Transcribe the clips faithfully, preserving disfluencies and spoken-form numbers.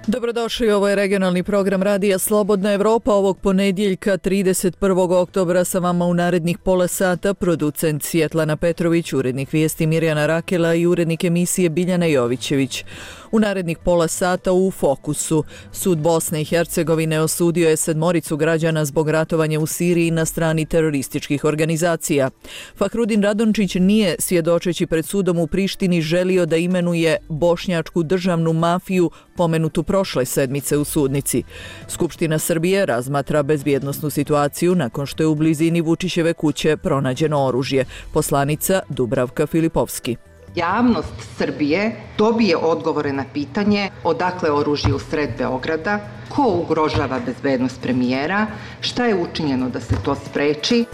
Dobrodošli, ovo je regionalni program Radija Slobodna Evropa ovog ponedjeljka trideset prvog oktobra. Sa vama u narednih pola sata producent Svjetlana Petrović, urednik vijesti Mirjana Rakela i urednik emisije Biljana Jovićević. U narednih pola sata u fokusu. Sud Bosne i Hercegovine osudio je sedmoricu građana zbog ratovanja u Siriji na strani terorističkih organizacija. Fahrudin Radončić nije, svjedočeći pred sudom u Prištini, želio da imenuje bošnjačku državnu mafiju pomenutu prošle sedmice u sudnici. Skupština Srbije razmatra bezbjednosnu situaciju nakon što je u blizini Vučićeve kuće pronađeno oružje. Poslanica Dubravka Filipovski. Javnost Srbije dobije odgovore na pitanje odakle oružje u sred Beograda, ko ugrožava bezbednost premijera, šta je učinjeno da se to spreči.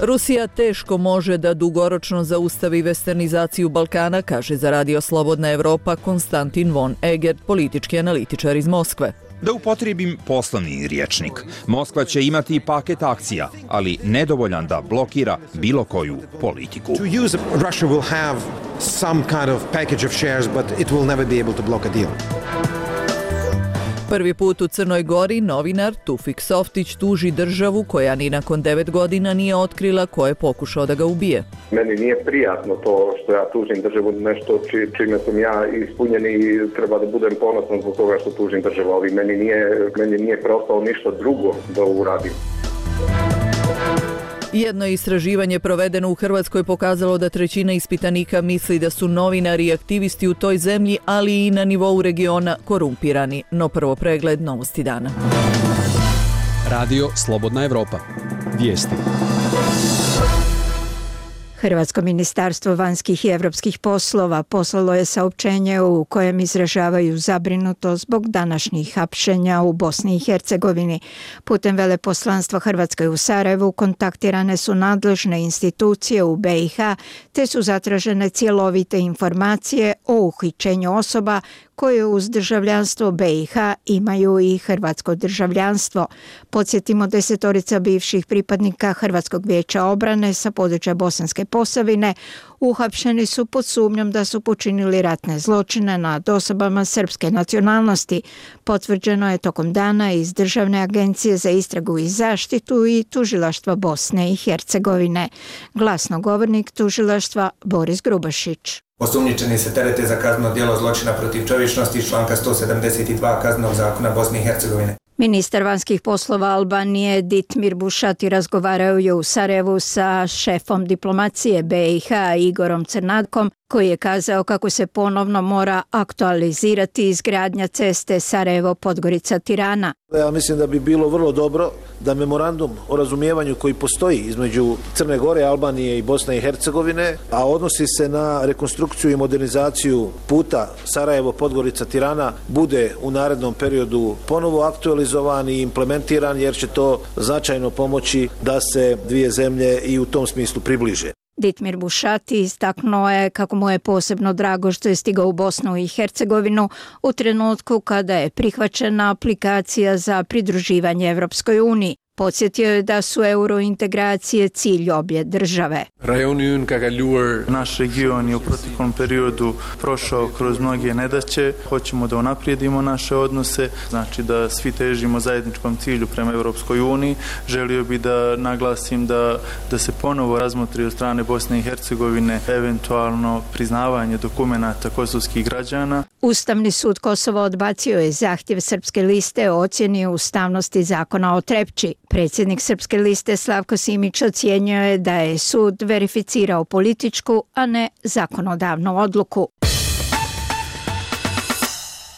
Rusija teško može da dugoročno zaustavi westernizaciju Balkana, kaže za Radio Slobodna Evropa Konstantin von Egert, politički analitičar iz Moskve. Da upotrijebim poslovni rječnik, Moskva će imati paket akcija, ali nedovoljan da blokira bilo koju politiku. To use Russia will have some kind of package of shares, but it will never be able to block a deal. Prvi put u Crnoj Gori novinar Tufik Softić tuži državu koja ni nakon devet godina nije otkrila ko je pokušao da ga ubije. Meni nije prijatno to što ja tužim državu, nešto či, čime sam ja ispunjen i treba da budem ponosan zbog toga što tužim državu, ali meni nije, meni nije preostalo ništa drugo da uradim. Jedno istraživanje provedeno u Hrvatskoj pokazalo da trećina ispitanika misli da su novinari i aktivisti u toj zemlji, ali i na nivou regiona, korumpirani. No prvo pregled novosti dana. Radio Slobodna Evropa. Vijesti. Hrvatsko ministarstvo vanjskih i europskih poslova poslalo je saopćenje u kojem izražavaju zabrinutost zbog današnjih hapšenja u Bosni i Hercegovini. Putem veleposlanstva Hrvatske u Sarajevu kontaktirane su nadležne institucije u B i H, te su zatražene cjelovite informacije o uhićenju osoba koje uz državljanstvo B i H imaju i hrvatsko državljanstvo. Podsjetimo, desetorica bivših pripadnika Hrvatskog vijeća obrane sa područja Bosanske Posavine uhapšeni su pod sumnjom da su počinili ratne zločine nad osobama srpske nacionalnosti. Potvrđeno je tokom dana iz Državne agencije za istragu i zaštitu i tužilaštva Bosne i Hercegovine. Glasnogovornik tužilaštva Boris Grubašić. Osumnjičeni se terete za kazneno djelo zločina protiv čovječnosti iz članka sto sedamdeset dva Kaznenog zakona Bosne i Hercegovine. Ministar vanjskih poslova Albanije Ditmir Bušati razgovarao je u Sarajevu sa šefom diplomacije B i H Igorom Crnatkom, koji je kazao kako se ponovno mora aktualizirati izgradnja ceste Sarajevo-Podgorica-Tirana. Ja mislim da bi bilo vrlo dobro da memorandum o razumijevanju koji postoji između Crne Gore, Albanije i Bosne i Hercegovine, a odnosi se na rekonstrukciju i modernizaciju puta Sarajevo-Podgorica-Tirana, bude u narednom periodu ponovo aktualizovan i implementiran, jer će to značajno pomoći da se dvije zemlje i u tom smislu približe. Ditmir Bušati istaknuo je kako mu je posebno drago što je stigao u Bosnu i Hercegovinu u trenutku kada je prihvaćena aplikacija za pridruživanje Evropskoj uniji. Podsjetio je da su eurointegracije cilj obje države. Naš region je u proteklom periodu prošao kroz mnoge nedaće. Hoćemo da unaprijedimo naše odnose, znači da svi težimo zajedničkom cilju prema Evropskoj uniji. Želio bi da naglasim da, da se ponovo razmotri od strane Bosne i Hercegovine eventualno priznavanje dokumenata kosovskih građana. Ustavni sud Kosova odbacio je zahtjev Srpske liste o ocjeni ustavnosti zakona o Trepči. Predsjednik Srpske liste Slavko Simić ocjenjuje je da je sud verificirao političku, a ne zakonodavnu odluku.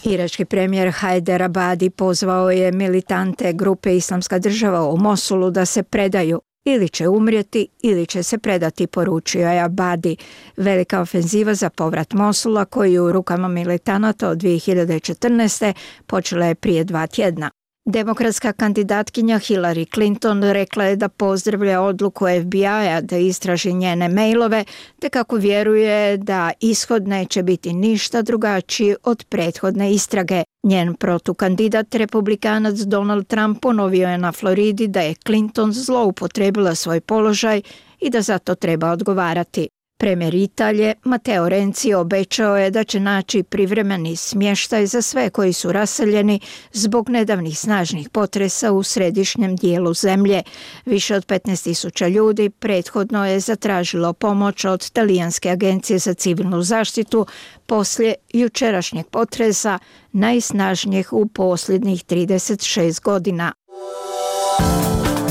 Irački premijer Hajder Abadi pozvao je militante grupe Islamska država u Mosulu da se predaju. Ili će umrijeti, ili će se predati, poručio je Abadi. Velika ofenziva za povrat Mosula, koji je u rukama militanata od dvije hiljade četrnaeste. počela je prije dva tjedna. Demokratska kandidatkinja Hillary Clinton rekla je da pozdravlja odluku F B I-a da istraži njene mailove, te kako vjeruje da ishod neće biti ništa drugačiji od prethodne istrage. Njen protukandidat, republikanac Donald Trump, ponovio je na Floridi da je Clinton zloupotrijebila svoj položaj i da za to treba odgovarati. Premijer Italije Matteo Renzi obećao je da će naći privremeni smještaj za sve koji su raseljeni zbog nedavnih snažnih potresa u središnjem dijelu zemlje. Više od petnaest tisuća ljudi prethodno je zatražilo pomoć od Talijanske agencije za civilnu zaštitu poslije jučerašnjeg potresa, najsnažnijeg u posljednjih trideset šest godina.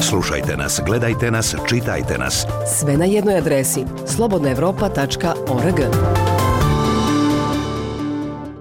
Slušajte nas, gledajte nas, čitajte nas. Sve na jednoj adresi slobodna evropa tačka org.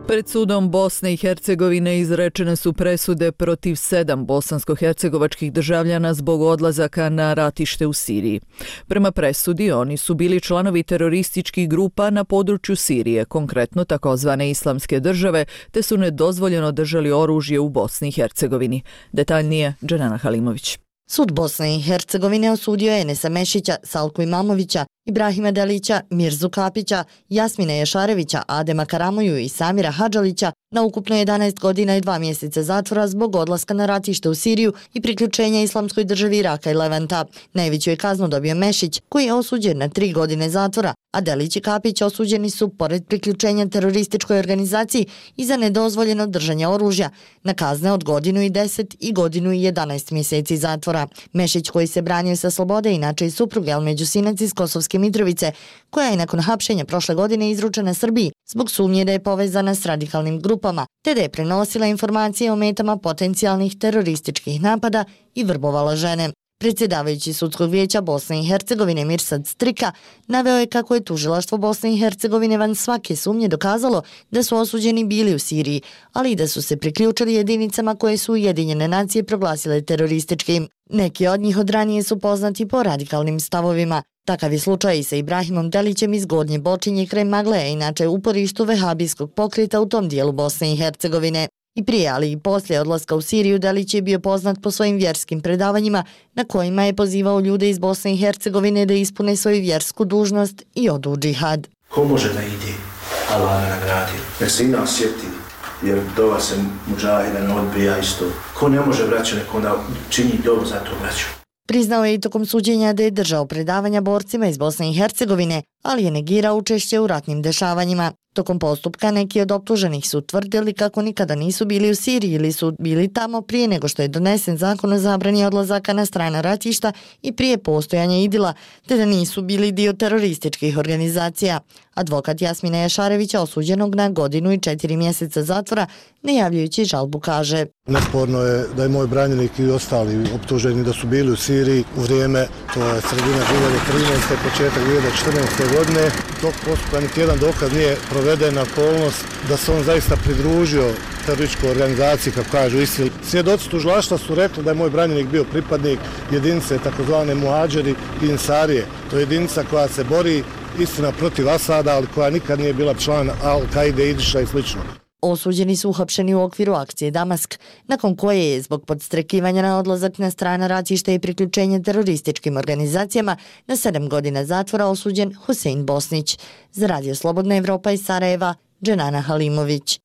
Pred sudom Bosne i Hercegovine izrečene su presude protiv sedam bosansko-hercegovačkih državljana zbog odlazaka na ratište u Siriji. Prema presudi oni su bili članovi terorističkih grupa na području Sirije, konkretno takozvane Islamske države, te su nedozvoljeno držali oružje u Bosni i Hercegovini. Detaljnije Dženana Halimović. Sud Bosne i Hercegovine osudio je Enesa Mešića, Salku Imamovića, Ibrahima Delića, Mirzu Kapića, Jasmina Ješarevića, Adema Karamoju i Samira Hadžalića na ukupno jedanaest godina i dva mjeseca zatvora zbog odlaska na ratište u Siriju i priključenja Islamskoj državi Iraka i Levanta. Najveću je kaznu dobio Mešić, koji je osuđen na tri godine zatvora, a Delić i Kapić osuđeni su, pored priključenja terorističkoj organizaciji, i za nedozvoljeno držanje oružja, na kazne od godinu i deset i godinu i jedanaest mjeseci zatvora. Mešić, koji se branio sa slobode, inače i suprug Elmeđu Sinac iz Kosovske Mitrovice, koja je nakon hapšenja prošle godine izručena Srbiji zbog sumnje da je povezana s radikalnim grupama, te da je prenosila informacije o metama potencijalnih terorističkih napada i vrbovala žene. Predsjedavajući Sudskog vijeća Bosne i Hercegovine Mirsad Strika naveo je kako je tužilaštvo Bosne i Hercegovine van svake sumnje dokazalo da su osuđeni bili u Siriji, ali i da su se priključili jedinicama koje su Ujedinjene nacije proglasile terorističkim. Neki od njih od ranije su poznati po radikalnim stavovima. Takav je slučaj i sa Ibrahimom Delićem iz Gornje Bočinje kraj Magleja, inače uporištu vehabijskog pokreta u tom dijelu Bosne i Hercegovine. I prije, ali i poslije odlaska u Siriju, Delić je bio poznat po svojim vjerskim predavanjima na kojima je pozivao ljude iz Bosne i Hercegovine da ispune svoju vjersku dužnost i odu u džihad. Ko može da ide, Allah me nagradio, nek se i nas sjeti, jer dova se muđahida ne odbija isto. Ko ne može vraća, nek onda čini dobu za to vraću. Priznao je i tokom suđenja da je držao predavanja borcima iz Bosne i Hercegovine, ali je negirao učešće u ratnim dešavanjima. Tokom postupka neki od optuženih su tvrdili kako nikada nisu bili u Siriji ili su bili tamo prije nego što je donesen zakon o zabrani odlazaka na strana ratišta i prije postojanja idila, te da nisu bili dio terorističkih organizacija. Advokat Jasmina Ješarevića, osuđenog na godinu i četiri mjeseca zatvora, najavljujući žalbu, kaže: Nesporno je da je moj branjenik i ostali optuženi da su bili u Siriji u vrijeme, to je sredina dvije hiljade trinaeste. početak dvije hiljade četrnaeste. godine. Tog postupka niti jedan dokaz nije provedena okolnost da se on zaista pridružio terorističkoj organizaciji, kako kažu ISIL. Svjedoci tužilaštva su rekli da je moj branjenik bio pripadnik jedinice takozvane Muadžeri i Insarije. To je jedinica koja se bori, istina, protiv Asada, ali koja nikad nije bila član Al-Kaide, Idiša i slično. Osuđeni su uhapšeni u okviru akcije Damask, nakon koje je zbog podstrekivanja na odlazak na strana ratišta i priključenje terorističkim organizacijama na sedam godina zatvora osuđen Husein Bosnić. Za Radio Slobodna Evropa iz Sarajeva, Dženana Halimović.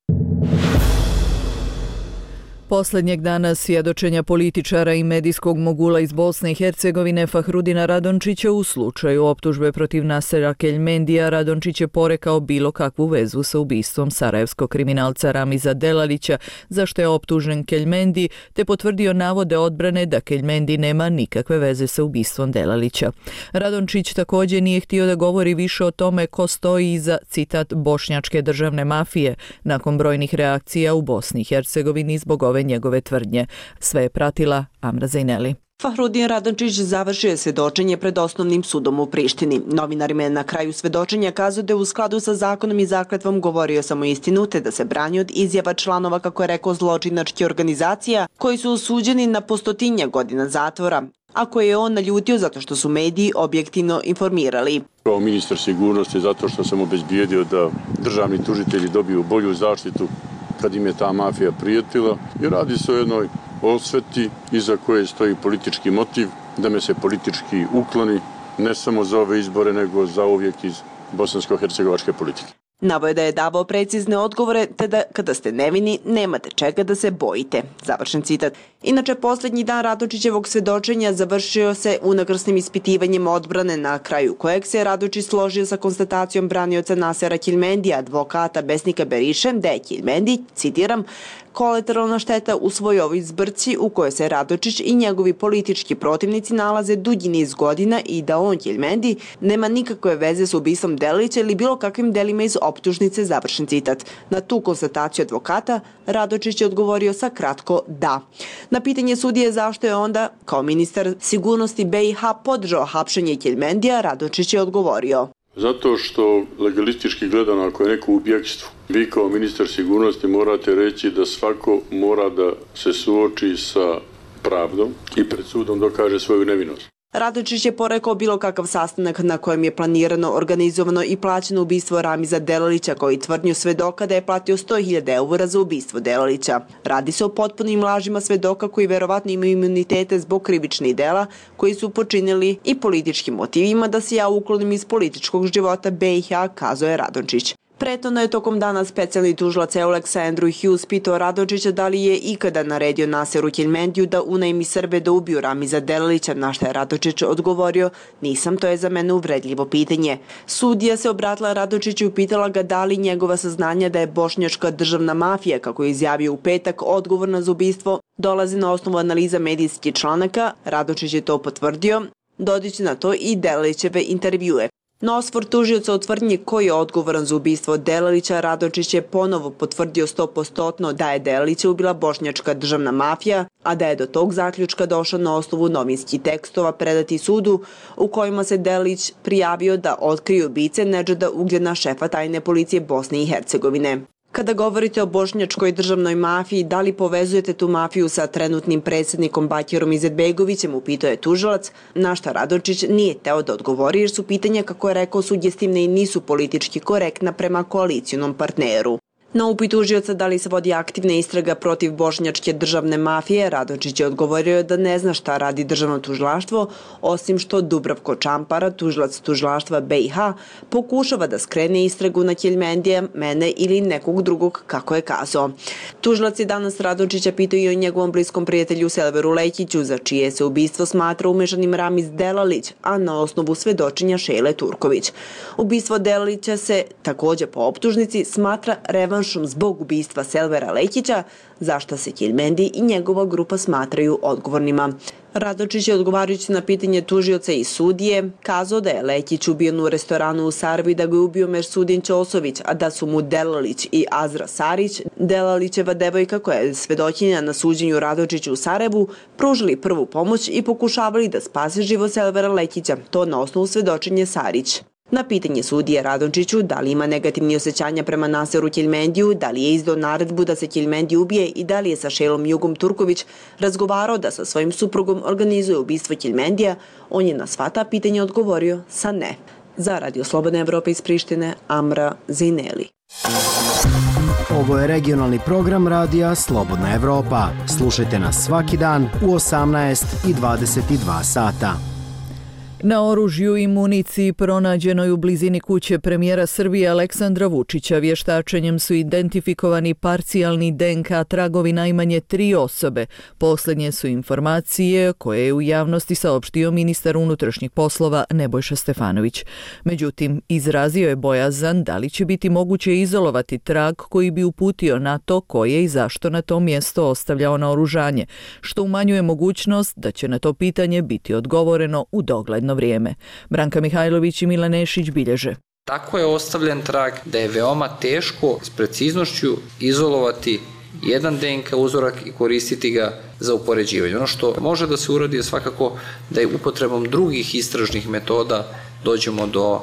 Posljednjeg dana svjedočenja političara i medijskog mogula iz Bosne i Hercegovine Fahrudina Radončića u slučaju optužbe protiv Nasera Keljmendija, Radončić je porekao bilo kakvu vezu sa ubistvom sarajevskog kriminalca Ramiza Delalića, za što je optužen Keljmendi, te potvrdio navode odbrane da Keljmendi nema nikakve veze sa ubistvom Delalića. Radončić također nije htio da govori više o tome ko stoji iza, citat, bošnjačke državne mafije, nakon brojnih reakcija u Bosni i Hercegovini zbog ove njegove tvrdnje. Sve je pratila Amra Zajneli. Fahrudin Radončić završio je svjedočenje pred osnovnim sudom u Prištini. Novinarima je na kraju svjedočenja kazao da je u skladu sa zakonom i zakletvom govorio samo istinu, te da se brani od izjava članova, kako je rekao, zločinačkih organizacija koji su osuđeni na po stotinja godina zatvora, a koje je on naljutio zato što su mediji objektivno informirali. Kao ministar sigurnosti, zato što sam obezbijedio da državni tužitelji dobiju bolju zaštitu kad im je ta mafija prijetila, i radi se o jednoj osveti iza koje stoji politički motiv, da me se politički ukloni, ne samo za ove izbore, nego za uvijek iz bosansko-hercegovačke politike. Navoje da je davao precizne odgovore, te da kada ste nevini, nemate čega da se bojite. Završen citat. Inače, posljednji dan Radočićevog svedočenja završio se unakrsnim ispitivanjem odbrane, na kraju kojeg se Radočić složio sa konstatacijom branioca Nasera Keljmendija, advokata Besnika Beriše, da je Keljmendi, citiram, kolateralna šteta u svojoj ovoj zbrci u kojoj se Radočić i njegovi politički protivnici nalaze dugi niz godina i da on, Keljmendi, nema nikakve veze s ubistvom Delilića ili bilo kakvim delima iz optužnice, završen citat. Na tu konstataciju advokata Radočić je odgovorio sa kratko da. Na pitanje sudije zašto je onda, kao ministar sigurnosti B i H, podržao hapšenje Keljmendija, Radočić je odgovorio. Zato što legalistički gledano, ako je neko u bjegstvu, vi kao ministar sigurnosti morate reći da svako mora da se suoči sa pravdom i pred sudom dokaže svoju nevinost. Radočić je porekao bilo kakav sastanak na kojem je planirano, organizovano i plaćeno ubistvo Ramiza Delilića, koji tvrdnju svedoka da je platio sto hiljada eura za ubistvo Delilića. Radi se o potpunim lažima svedoka koji verovatno imaju imunitete zbog krivičnih dela koji su počinili i političkim motivima da se ja uklonim iz političkog života B i H, kazao je Radočić. Prethodno je tokom dana specijalni tužilac Eulex Andrew Hughes pitao Radočića da li je ikada naredio Naseru Keljmendiju da unajmi Srbe da ubiju Ramiza Delilića, na što je Radočić odgovorio, nisam, to je za mene uvredljivo pitanje. Sudija se obratila Radočiću i pitala ga da li njegova saznanja da je bošnjačka državna mafija, kako je izjavio u petak, odgovorna za ubistvo, dolazi na osnovu analiza medijskih članaka. Radočić je to potvrdio, dodajući na to i Delilićeve intervjue. Na osvor tužioca o tvrdnji ko je odgovoran za ubistvo Delilića, Radočić je ponovo potvrdio sto posto da je Delilića ubila bošnjačka državna mafija, a da je do tog zaključka došao na osnovu novinskih tekstova predati sudu u kojima se Delilić prijavio da otkrije ubice Nedžada Ugljena, šefa tajne policije Bosne i Hercegovine. Kada govorite o bošnjačkoj državnoj mafiji, da li povezujete tu mafiju sa trenutnim predsjednikom Bakirom Izetbegovićem, upitao je tužilac, na šta Radočić nije teo da odgovori jer su pitanja, kako je rekao, sugestivne i nisu politički korektna prema koalicijonom partneru. Na upit tužioca da li se vodi aktivna istraga protiv bošnjačke državne mafije, Radočić je odgovorio da ne zna šta radi državno tužilaštvo, osim što Dubravko Čampara, tužilac tužilaštva B i H, pokušava da skrene istragu na Keljmendija, mene ili nekog drugog, kako je kazao. Tužilac je danas Radočića pitao i o njegovom bliskom prijatelju Selveru Lekiću, za čije se ubistvo smatra umešanim Ramiz Delilić, a na osnovu svedočenja Šejle Turković. Ubistvo Delilića se također po optužnici smatra revanšom zbog ubistva Selvera Lekića, za šta se Keljmendi i njegova grupa smatraju odgovornima. Radočić je, odgovarajući na pitanje tužioca i sudije, kazao da je Lekić ubijen u restoranu u Sarajevu i da ga je ubio Mersudin Ćosović, a da su mu Delilić i Azra Sarić, Delilićeva devojka koja je svedočenja na suđenju Radočiću u Sarajevu, pružili prvu pomoć i pokušavali da spase život Selvera Lekića, to na osnovu svedočenja Sarić. Na pitanje sudije Radočiću da li ima negativni osjećanja prema Naseru Keljmendiju, da li je izdao naredbu da se Keljmendi ubije i da li je sa Šejlom Jugom Turković razgovarao da sa svojim suprugom organizuje ubistvo Keljmendija, on je na sva ta pitanja odgovorio sa ne. Za Radio Slobodna Evropa iz Prištine, Amra Zineli. Ovo je regionalni program radija Slobodna Evropa. Slušajte nas svaki dan u osamnaest i dvadeset dva sata. Na oružju i municiji pronađenoj u blizini kuće premijera Srbije Aleksandra Vučića vještačenjem su identifikovani parcijalni D N K tragovi najmanje tri osobe. Posljednje su informacije koje je u javnosti saopštio ministar unutrašnjih poslova Nebojša Stefanović. Međutim, izrazio je bojazan da li će biti moguće izolovati trag koji bi uputio na to ko je i zašto na to mjesto ostavljao naoružanje, što umanjuje mogućnost da će na to pitanje biti odgovoreno u dogledno vrijeme. Branka Mihajlović i Milan Nešić bilježe. Tako je ostavljen trag da je veoma teško s preciznošću izolovati jedan D N K uzorak i koristiti ga za upoređivanje. Ono što može da se uradi je svakako da je upotrebom drugih istražnih metoda dođemo do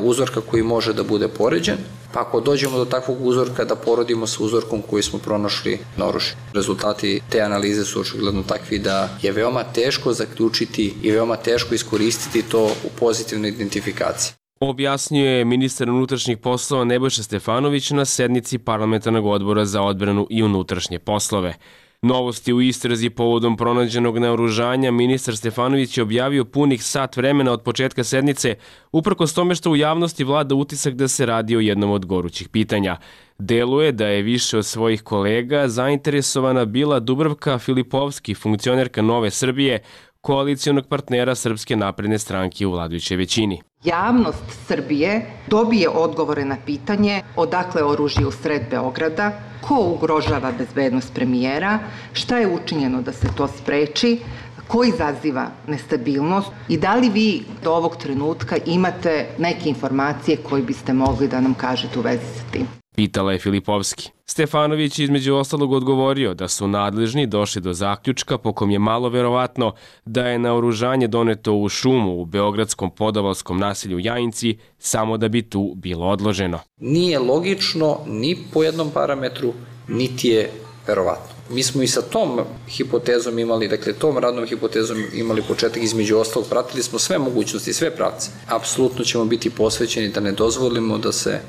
uzorka koji može da bude poređen, pa ako dođemo do takvog uzorka da porodimo sa uzorkom koji smo pronašli na oružju. Rezultati te analize su očigledno takvi da je veoma teško zaključiti i veoma teško iskoristiti to u pozitivnoj identifikaciji. Objasnio je ministar unutrašnjih poslova Nebojša Stefanović na sednici parlamentarnog odbora za odbranu i unutrašnje poslove. Novosti u istrazi povodom pronađenog naoružanja ministar Stefanović je objavio punih sat vremena od početka sednice, uprkos tome što u javnosti vlada utisak da se radi o jednom od gorućih pitanja. Deluje da je više od svojih kolega zainteresovana bila Dubravka Filipovski, funkcionerka Nove Srbije, koalicijonog partnera Srpske napredne stranke u vladajućoj većini. Javnost Srbije dobije odgovore na pitanje odakle oružje u sred Beograda, ko ugrožava bezbednost premijera, šta je učinjeno da se to spreči, ko izaziva nestabilnost i da li vi do ovog trenutka imate neke informacije koje biste mogli da nam kažete u vezi sa tim? Pitala je Filipovski. Stefanović između ostalog odgovorio da su nadležni došli do zaključka po kom je malo verovatno da je naoružanje doneto u šumu u beogradskom podavalskom naselju Jajinci samo da bi tu bilo odloženo. Nije logično ni po jednom parametru, niti je verovatno. Mi smo i sa tom hipotezom imali, dakle tom radnom hipotezom imali početak, između ostalog pratili smo sve mogućnosti, sve pravce. Apsolutno ćemo biti posvećeni da ne dozvolimo da se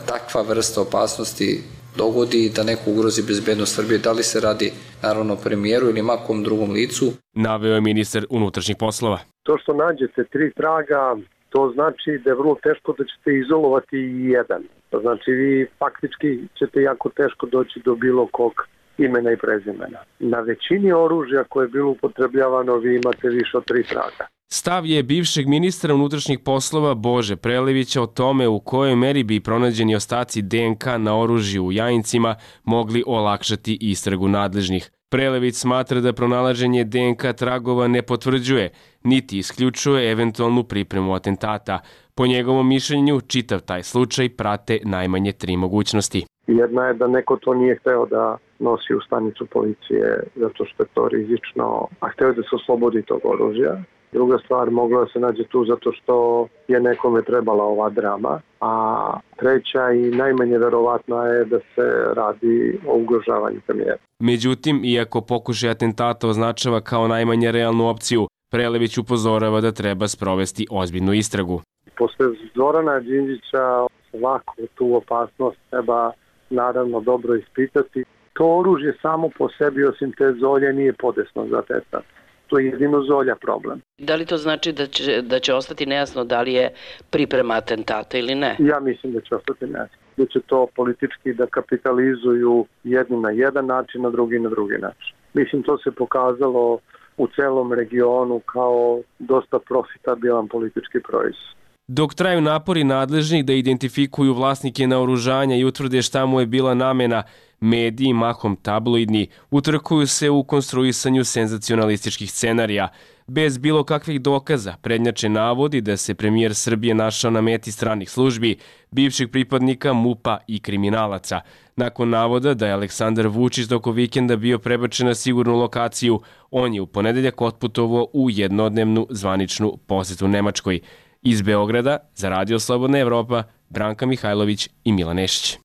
takva vrsta opasnosti dogodi, da neko ugrozi bezbednost Srbije, da li se radi naravno o premijeru ili makom drugom licu. Naveo je ministar unutrašnjih poslova. To što nađete tri traga, to znači da je vrlo teško da ćete izolovati i jedan. To znači vi faktički ćete jako teško doći do bilo kog imena i prezimena. Na većini oružja koje je bilo upotrebljavano vi imate više od tri traga. Stav je bivšeg ministra unutrašnjih poslova Bože Prelevića o tome u kojoj meri bi pronađeni ostaci D N K na oružju u Jajincima mogli olakšati istragu nadležnih. Prelević smatra da pronalaženje D N K tragova ne potvrđuje, niti isključuje eventualnu pripremu atentata. Po njegovom mišljenju, čitav taj slučaj prate najmanje tri mogućnosti. Jedna je da neko to nije hteo da nosi u stanicu policije zato što je to rizično, a hteo da se oslobodi tog oružja. Druga stvar, mogla se nađe tu zato što je nekome trebala ova drama, a treća i najmanje verovatna je da se radi o ugrožavanju premijera. Međutim, iako pokušaj atentata označava kao najmanje realnu opciju, Prelević upozorava da treba sprovesti ozbiljnu istragu. Posle Zorana Đinđića svaku tu opasnost treba naravno dobro ispitati. To oružje samo po sebi, osim te zolje, nije podesno za atentat. To je jedino zolja problem. Da li to znači da će, da će ostati nejasno da li je priprema atentata ili ne? Ja mislim da će ostati nejasno. Da će to politički da kapitalizuju jedni na jedan način, a drugi na drugi način. Mislim, to se pokazalo u celom regionu kao dosta profitabilan politički proizvod. Dok traju napori nadležnih da identifikuju vlasnike naoružanja i utvrde šta mu je bila namena, mediji, mahom tabloidni, utrkuju se u konstruisanju senzacionalističkih scenarija. Bez bilo kakvih dokaza prednjače navodi da se premijer Srbije našao na meti stranih službi, bivših pripadnika MUP-a i kriminalaca. Nakon navoda da je Aleksandar Vučić toko vikenda bio prebačen na sigurnu lokaciju, on je u ponedeljak otputovao u jednodnevnu zvaničnu posetu Nemačkoj. Iz Beograda, za Radio Slobodna Evropa, Branka Mihajlović i Milan Nešić.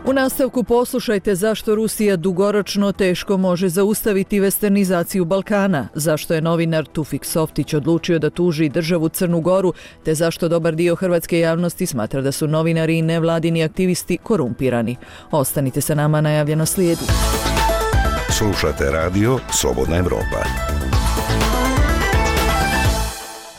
U nastavku poslušajte zašto Rusija dugoročno teško može zaustaviti westernizaciju Balkana, zašto je novinar Tufik Softić odlučio da tuži državu Crnu Goru, te zašto dobar dio hrvatske javnosti smatra da su novinari i nevladini aktivisti korumpirani. Ostanite sa nama, najavljeno slijedi. Slušate Radio Slobodna Evropa.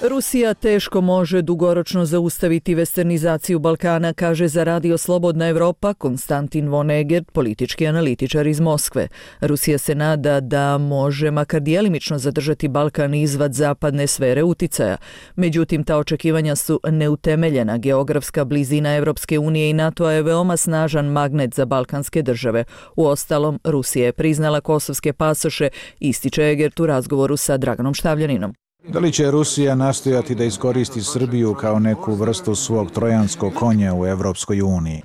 Rusija teško može dugoročno zaustaviti westernizaciju Balkana, kaže za Radio Slobodna Evropa Konstantin von Egert, politički analitičar iz Moskve. Rusija se nada da može makar djelimično zadržati Balkan izvad zapadne sfere uticaja. Međutim, ta očekivanja su neutemeljena. Geografska blizina Evropske unije i NATO-a je veoma snažan magnet za balkanske države. Uostalom, Rusija je priznala kosovske pasoše, ističe Egert u razgovoru sa Draganom Štavljaninom. Da li će Rusija nastojati da iskoristi Srbiju kao neku vrstu svog trojanskog konja u Evropskoj uniji?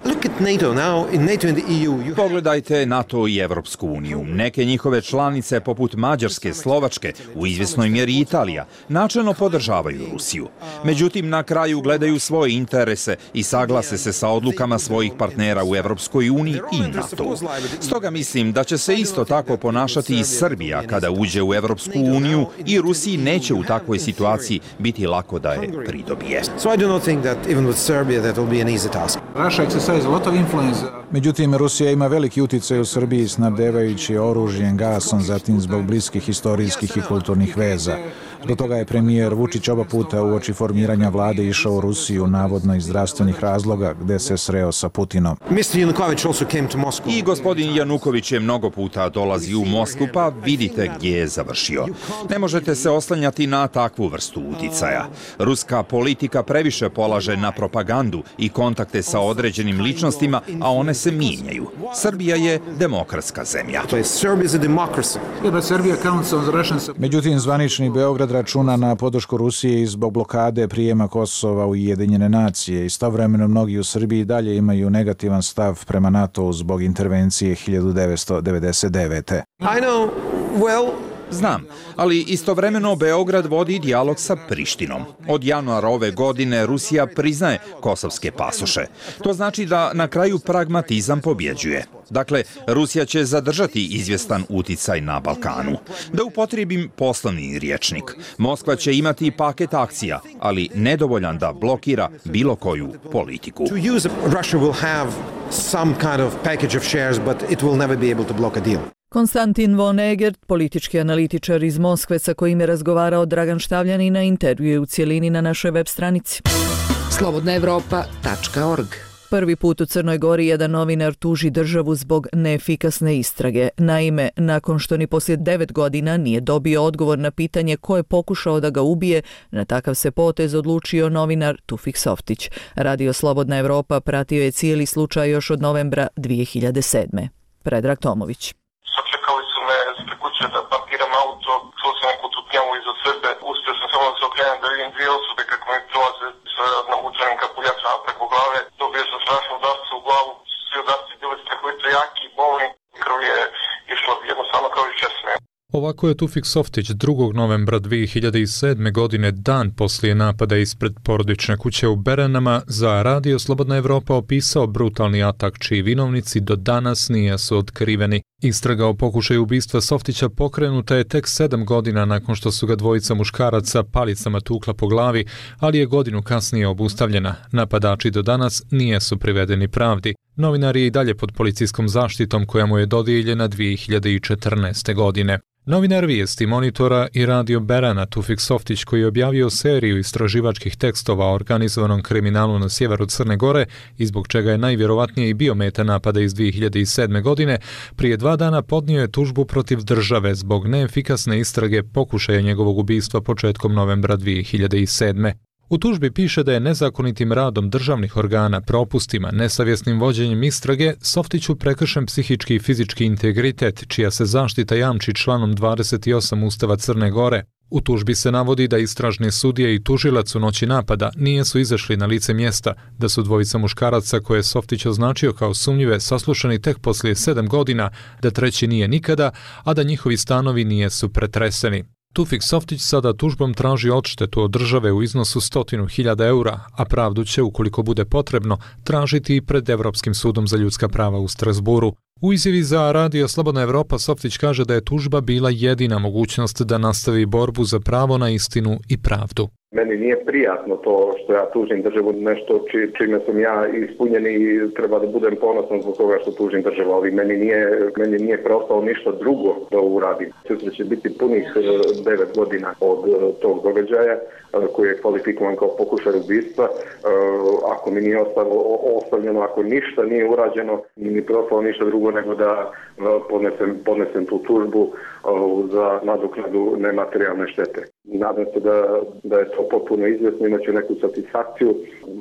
Pogledajte NATO i Evropsku uniju. Neke njihove članice, poput Mađarske, Slovačke, u izvjesnoj mjeri Italija, načelno podržavaju Rusiju. Međutim, na kraju gledaju svoje interese i saglase se sa odlukama svojih partnera u Evropskoj uniji i NATO. Stoga mislim da će se isto tako ponašati i Srbija kada uđe u Evropsku uniju i Rusiji neće takvoj situaciji biti lako da je pridobije. Međutim, Rusija ima veliki uticaj u Srbiji snabdevajući oružjem, gasom, zatim zbog bliskih historijskih i kulturnih veza. Do toga je premijer Vučić oba puta uoči formiranja vlade išao u Rusiju, navodno iz zdravstvenih razloga, gde se sreo sa Putinom. I gospodin Januković je mnogo puta dolazi u Moskvu, pa vidite gdje je završio. Ne možete se oslanjati na takvu vrstu uticaja. Ruska politika previše polaže na propagandu i kontakte sa određenim ličnostima, a one se mijenjaju. Srbija je demokratska zemlja. Međutim, zvanični Beograd računa na podršku Rusije i zbog blokade prijema Kosova u Ujedinjene nacije. Istovremeno mnogi u Srbiji dalje imaju negativan stav prema NATO zbog intervencije hiljadu devetsto devedeset devete. I know, well... Znam, ali istovremeno Beograd vodi dijalog sa Prištinom. Od januara ove godine Rusija priznaje kosovske pasoše. To znači da na kraju pragmatizam pobjeđuje. Dakle, Rusija će zadržati izvjestan uticaj na Balkanu. Da upotrijebim poslovni rječnik. Moskva će imati paket akcija, ali nedovoljan da blokira bilo koju politiku. Konstantin von Egert, politički analitičar iz Moskve sa kojim je razgovarao Dragan Štavljanin, na intervju u cijelini na našoj web stranici. slobodna evropa tačka org. Prvi put u Crnoj Gori jedan novinar tuži državu zbog neefikasne istrage. Naime, nakon što ni poslije devet godina nije dobio odgovor na pitanje ko je pokušao da ga ubije, na takav se potez odlučio novinar Tufik Softić. Radio Slobodna Evropa pratio je cijeli slučaj još od novembra dvije hiljade sedme. Predrag Tomović. Sačekali su me ispred kuće da parkiram auto, čuo sam neku tutnjavu iza sebe, uspio sam samo da se okrenem da vidim dvije osobe kako mi prolaze sa navučenim kapuljačama preko glave. Dobio sam strašnu udarcu u glavu, svi udarci bili strahovito jaki i bolni, krv je išla jednostavno kao iz česme. Ovako je Tufik Softić drugog novembra dvije hiljade sedme. godine, dan poslije napada ispred porodične kuće u Beranama, za Radio Slobodna Evropa opisao brutalni atak čiji vinovnici do danas nisu otkriveni. Istraga o pokušaju ubistva Softića pokrenuta je tek sedam godina nakon što su ga dvojica muškaraca palicama tukla po glavi, ali je godinu kasnije obustavljena. Napadači do danas nisu privedeni pravdi. Novinar je i dalje pod policijskom zaštitom koja mu je dodijeljena dvije hiljade četrnaeste. godine. Novinar Vijesti, Monitora i Radio Berana Tufik Softić, koji je objavio seriju istraživačkih tekstova o organizovanom kriminalu na sjeveru Crne Gore i zbog čega je najvjerovatnije i bio meta napada iz dvije hiljade sedme. godine, prije dva dana podnio je tužbu protiv države zbog neefikasne istrage pokušaja njegovog ubistva početkom novembra dvije hiljade sedme. U tužbi piše da je nezakonitim radom državnih organa, propustima, nesavjesnim vođenjem istrage Softiću prekršen psihički i fizički integritet, čija se zaštita jamči članom dvadeset osam Ustava Crne Gore. U tužbi se navodi da istražni sudije i tužilac u noći napada nisu izašli na lice mjesta, da su dvojica muškaraca koje je Softić označio kao sumnjive saslušani tek poslije sedam godina, da treći nije nikada, a da njihovi stanovi nisu pretreseni. Tufik Softić sada tužbom traži odštetu od države u iznosu stotinu hiljada eura, a pravdu će, ukoliko bude potrebno, tražiti i pred Evropskim sudom za ljudska prava u Strasburu. U izjavi za Radio Slobodna Evropa Softić kaže da je tužba bila jedina mogućnost da nastavi borbu za pravo na istinu i pravdu. Meni nije prijatno to što ja tužim državu, nešto či, čime sam ja ispunjen i treba da budem ponosan zbog toga što tužim državu, ali meni nije, meni nije preostalo ništa drugo da uradim. Sutra će biti punih devet godina od tog događaja koji je kvalifikovan kao pokušaj ubistva. Ako mi nije ostavljeno, ako ništa nije urađeno, nije mi preostalo ništa drugo nego da podnesem, podnesem tu tužbu za nadoknadu nematerijalne štete. Nadam se da, da je to potpuno izvjesno, imaće neku satisfakciju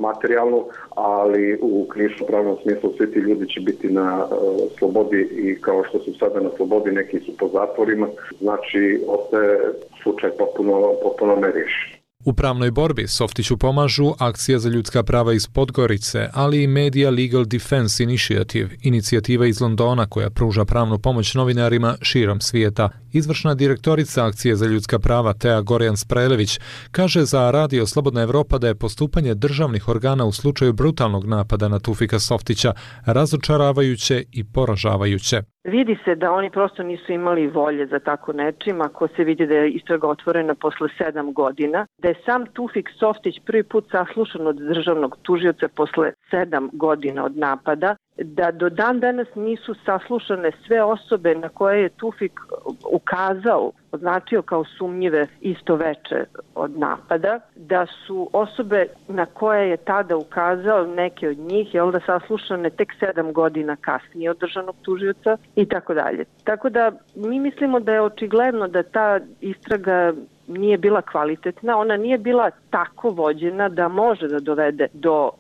materijalnu, ali u krivično-pravnom smislu svi ti ljudi će biti na uh, slobodi i kao što su sada na slobodi, neki su po zatvorima, znači ostaje slučaj potpuno, potpuno neriješen. U pravnoj borbi Softiću pomažu Akcija za ljudska prava iz Podgorice, ali i Media Legal Defense Initiative, inicijativa iz Londona koja pruža pravnu pomoć novinarima širom svijeta, Izvršna direktorica Akcije za ljudska prava Tea Gorjan-Sprelević kaže za Radio Slobodna Evropa da je postupanje državnih organa u slučaju brutalnog napada na Tufika Softića razočaravajuće i poražavajuće. Vidi se da oni prosto nisu imali volje za tako nečim, ako se vidi da je istraga otvorena posle sedam godina, da je sam Tufik Softić prvi put saslušan od državnog tužioca posle sedam godina od napada, da do dan danas nisu saslušane sve osobe na koje je Tufik ukazao, označio kao sumnjive isto veče od napada, da su osobe na koje je tada ukazao, neke od njih, jel da saslušane tek sedam godina kasnije od državnog tužioca i tako dalje. Tako da mi mislimo da je očigledno da ta istraga nije bila kvalitetna, ona nije bila tako vođena da može da dovede do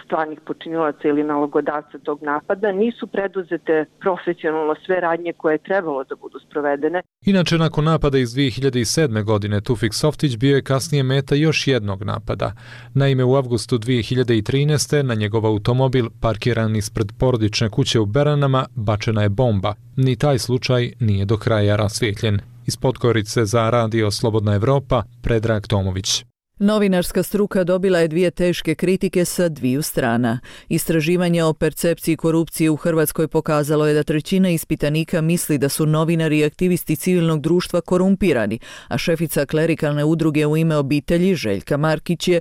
stvarnih počinilaca ili nalogodavca tog napada, nisu preduzete profesionalno sve radnje koje je trebalo da budu sprovedene. Inače, nakon napada iz dvije hiljade sedme. godine, Tufik Softić bio je kasnije meta još jednog napada. Naime, u avgustu dvije hiljade trinaeste. na njegov automobil, parkiran ispred porodične kuće u Beranama, bačena je bomba. Ni taj slučaj nije do kraja rasvijetljen. Iz Podgorice za Radio Slobodna Evropa, Predrag Tomović. Novinarska struka dobila je dvije teške kritike sa dviju strana. Istraživanje o percepciji korupcije u Hrvatskoj pokazalo je da trećina ispitanika misli da su novinari i aktivisti civilnog društva korumpirani, a šefica klerikalne udruge U ime obitelji Željka Markić je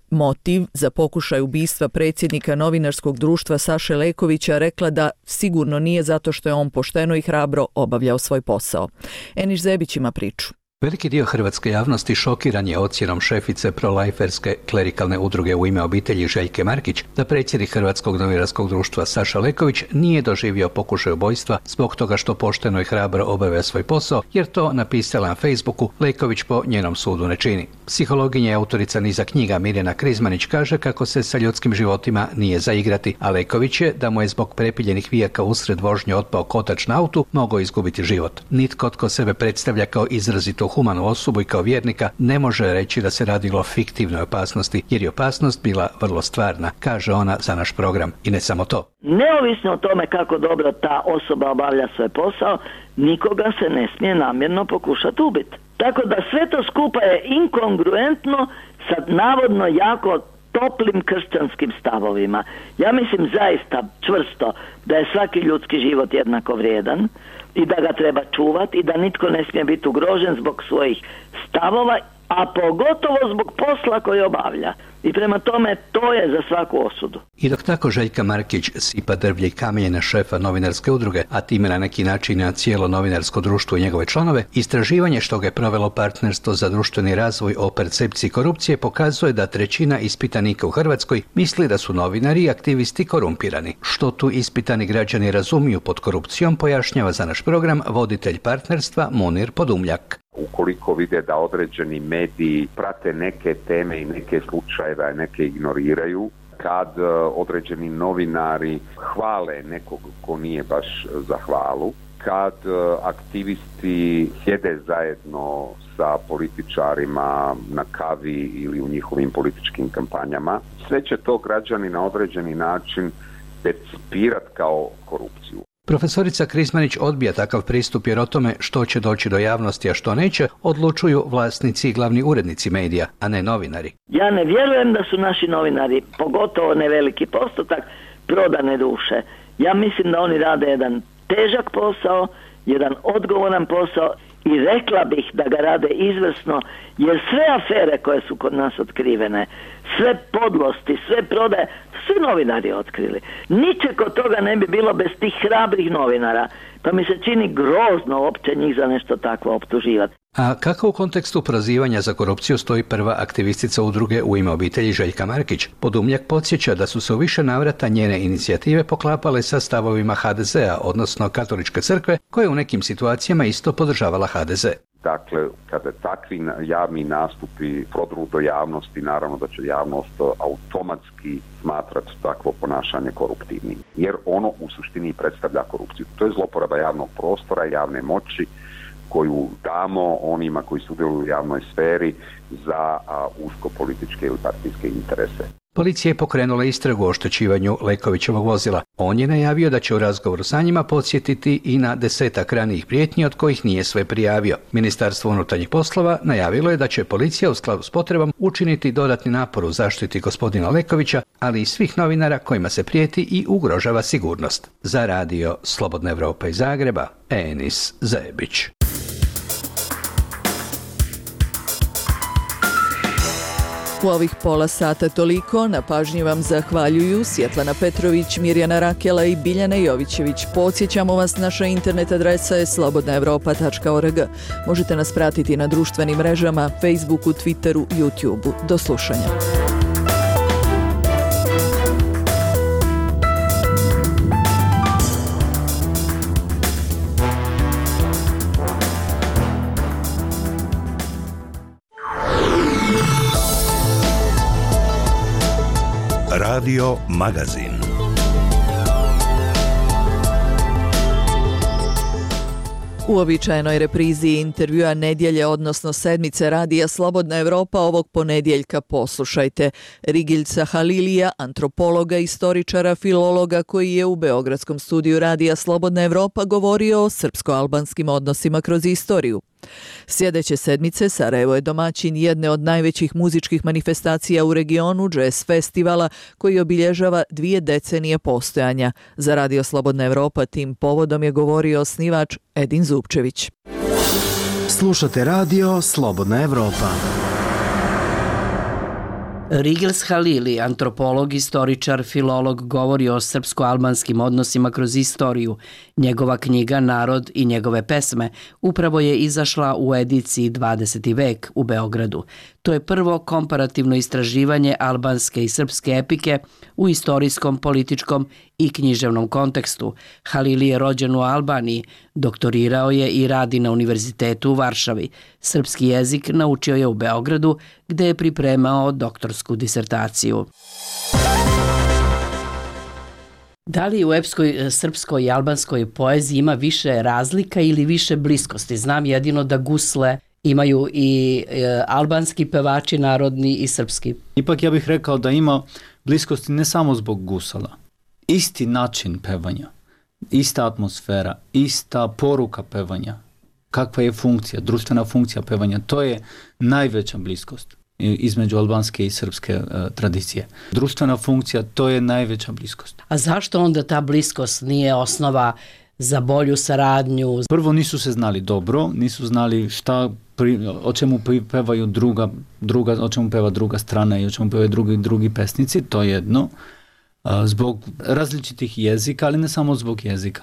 motiv za pokušaj ubistva predsjednika novinarskog društva Saše Lekovića rekla da sigurno nije zato što je on pošteno i hrabro obavljao svoj posao. Eniš Zebić ima priču. Veliki dio hrvatske javnosti šokiran je ocjenom šefice prolajferske klerikalne udruge U ime obitelji Željke Markić da predsjednik Hrvatskog novinarskog društva Saša Leković nije doživio pokušaj ubojstva zbog toga što pošteno i hrabro obavlja svoj posao, jer to, napisala na Facebooku, Leković po njenom sudu ne čini. Psihologinja i autorica niza knjiga Mirjana Krizmanić kaže kako se sa ljudskim životima nije zaigrati, a Leković je, da mu je zbog prepiljenih vijaka usred vožnje otpao kotač na autu, mogao izgubiti život. Nitko tko sebe predstavlja kao izrazito humanu osobu i kao vjernika ne može reći da se radilo o fiktivnoj opasnosti, jer je opasnost bila vrlo stvarna, kaže ona za naš program. I ne samo to. Neovisno o tome kako dobro ta osoba obavlja svoj posao, nikoga se ne smije namjerno pokušati ubiti. Tako da sve to skupa je inkongruentno sa navodno jako toplim kršćanskim stavovima. Ja mislim zaista čvrsto da je svaki ljudski život jednako vrijedan i da ga treba čuvati i da nitko ne smije biti ugrožen zbog svojih stavova, a pogotovo zbog posla koji obavlja. I prema tome to je za svaku osudu. I dok tako Željka Markić sipa drvlje i kamenje na šefa novinarske udruge, a time na neki način na cijelo novinarsko društvo i njegove članove, istraživanje što ga je provelo Partnerstvo za društveni razvoj o percepciji korupcije pokazuje da trećina ispitanika u Hrvatskoj misli da su novinari i aktivisti korumpirani. Što tu ispitani građani razumiju pod korupcijom, pojašnjava za naš program voditelj Partnerstva Munir Podumljak. Ukoliko vide da određeni mediji prate neke teme i neke slučajeve, a neke ignoriraju, kad određeni novinari hvale nekog ko nije baš za hvalu, kad aktivisti sjede zajedno sa političarima na kavi ili u njihovim političkim kampanjama, sve će to građani na određeni način percipirati kao korupciju. Profesorica Krizmanić odbija takav pristup jer o tome što će doći do javnosti, a što neće, odlučuju vlasnici i glavni urednici medija, a ne novinari. Ja ne vjerujem da su naši novinari, pogotovo ne veliki postotak, prodane duše. Ja mislim da oni rade jedan težak posao, jedan odgovoran posao i rekla bih da ga rade izvrsno, jer sve afere koje su kod nas otkrivene, sve podlosti, sve prodaje, svi novinari otkrili. Ničeg od toga ne bi bilo bez tih hrabrih novinara, pa mi se čini grozno uopće njih za nešto takvo optuživati. A kako u kontekstu prozivanja za korupciju stoji prva aktivistica udruge U ime obitelji Željka Markić? Podumljak podsjeća da su se u više navrata njene inicijative poklapale sa stavovima ha de zea, odnosno Katoličke crkve, koja je u nekim situacijama isto podržavala ha de ze. Dakle, kada takvi javni nastupi prodru do javnosti, naravno da će javnost automatski smatrati takvo ponašanje koruptivnim, jer ono u suštini predstavlja korupciju. To je zloporaba javnog prostora, javne moći koju damo onima koji sudjeluju u javnoj sferi za a, usko političke ili partijske interese. Policija je pokrenula istragu o oštećivanju Lekovićevog vozila. On je najavio da će u razgovoru sa njima podsjetiti i na desetak ranijih prijetnji od kojih nije sve prijavio. Ministarstvo unutarnjih poslova najavilo je da će policija u skladu s potrebom učiniti dodatni napor u zaštiti gospodina Lekovića, ali i svih novinara kojima se prijeti i ugrožava sigurnost. Za radio Slobodna Evropa iz Zagreba, Enis Zebić. U ovih pola sata toliko, na pažnji vam zahvaljuju Svjetlana Petrović, Mirjana Rakela i Biljana Jovićević. Podsjećamo vas, naša internet adresa je slobodna evropa tačka org. Možete nas pratiti na društvenim mrežama, Facebooku, Twitteru, YouTubeu. Do slušanja. Radio Magazin. U običajenoj reprizi intervjua nedjelje, odnosno sedmice radija Slobodna Evropa ovog ponedjeljka poslušajte Rigiljca Halilija, antropologa, istoričara, filologa koji je u beogradskom studiju radija Slobodna Evropa govorio o srpsko-albanskim odnosima kroz istoriju. Sljedeće sedmice Sarajevo je domaćin jedne od najvećih muzičkih manifestacija u regionu, Jazz festivala, koji obilježava dvije decenije postojanja. Za Radio Slobodna Evropa tim povodom je govorio osnivač Edin Zupčević. Slušate radio Slobodna Evropa. Rigils Halili, antropolog, istoričar, filolog, govori o srpsko-albanskim odnosima kroz istoriju. Njegova knjiga Narod i njegove pesme upravo je izašla u ediciji dvadeseti vek u Beogradu. To je prvo komparativno istraživanje albanske i srpske epike u istorijskom, političkom i književnom kontekstu. Halili je rođen u Albaniji, doktorirao je i radi na univerzitetu u Varšavi. Srpski jezik naučio je u Beogradu, gde je pripremao doktorsku disertaciju. Da li u epskoj srpskoj i albanskoj poeziji ima više razlika ili više bliskosti? Znam jedino da gusle imaju i e, albanski pevači narodni i srpski. Ipak ja bih rekao da ima bliskosti ne samo zbog gusala. Isti način pevanja, ista atmosfera, ista poruka pevanja, kakva je funkcija, društvena funkcija pevanja, to je najveća bliskost između albanske i srpske uh, tradicije. Društvena funkcija, to je najveća bliskost. A zašto onda ta bliskost nije osnova za bolju saradnju? Prvo, nisu se znali dobro, nisu znali šta, pri, o čemu pevaju druga, druga, o čemu peva druga strana i o čemu pevaju drugi, drugi pesnici, to je jedno. Uh, zbog različitih jezika, ali ne samo zbog jezika.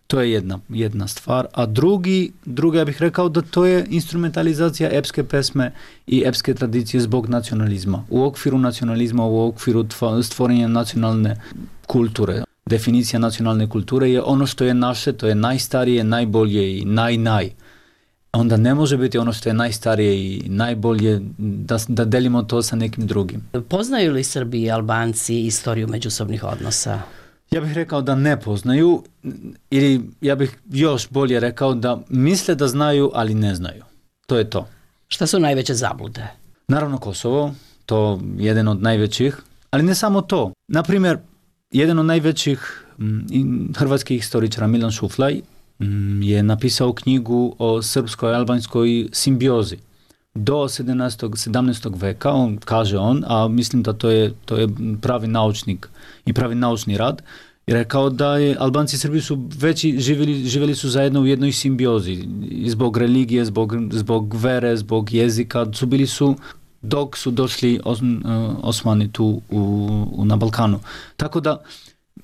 To je jedna, jedna stvar. A drugi, druga, ja bih rekao da to je instrumentalizacija epske pesme i epske tradicije zbog nacionalizma. U okviru nacionalizma, u okviru stvorenja nacionalne kulture. Definicija nacionalne kulture je ono što je naše, to je najstarije, najbolje i naj-naj. Onda ne može biti ono što je najstarije i najbolje da, da delimo to sa nekim drugim. Poznaju li Srbi i Albanci istoriju međusobnih odnosa? Ja bih rekao da ne poznaju, ili ja bih još bolje rekao da misle da znaju, ali ne znaju. To je to. Šta su najveće zablude? Naravno Kosovo, to je jedan od najvećih, ali ne samo to. Naprimjer, jedan od najvećih m, hrvatskih historičara, Milan Šuflaj, m, je napisao knjigu o srpskoj-albanskoj simbiozi. Do sedamnaestog veka, on kaže on, a mislim da to je, to je pravi naučnik i pravi naučni rad, i rekao da je Albanci i Srbi su veći, živjeli, živjeli su zajedno u jednoj simbiozi, zbog religije, zbog, zbog vere, zbog jezika, su bili su dok su došli os, Osmani tu u, u, na Balkanu. Tako da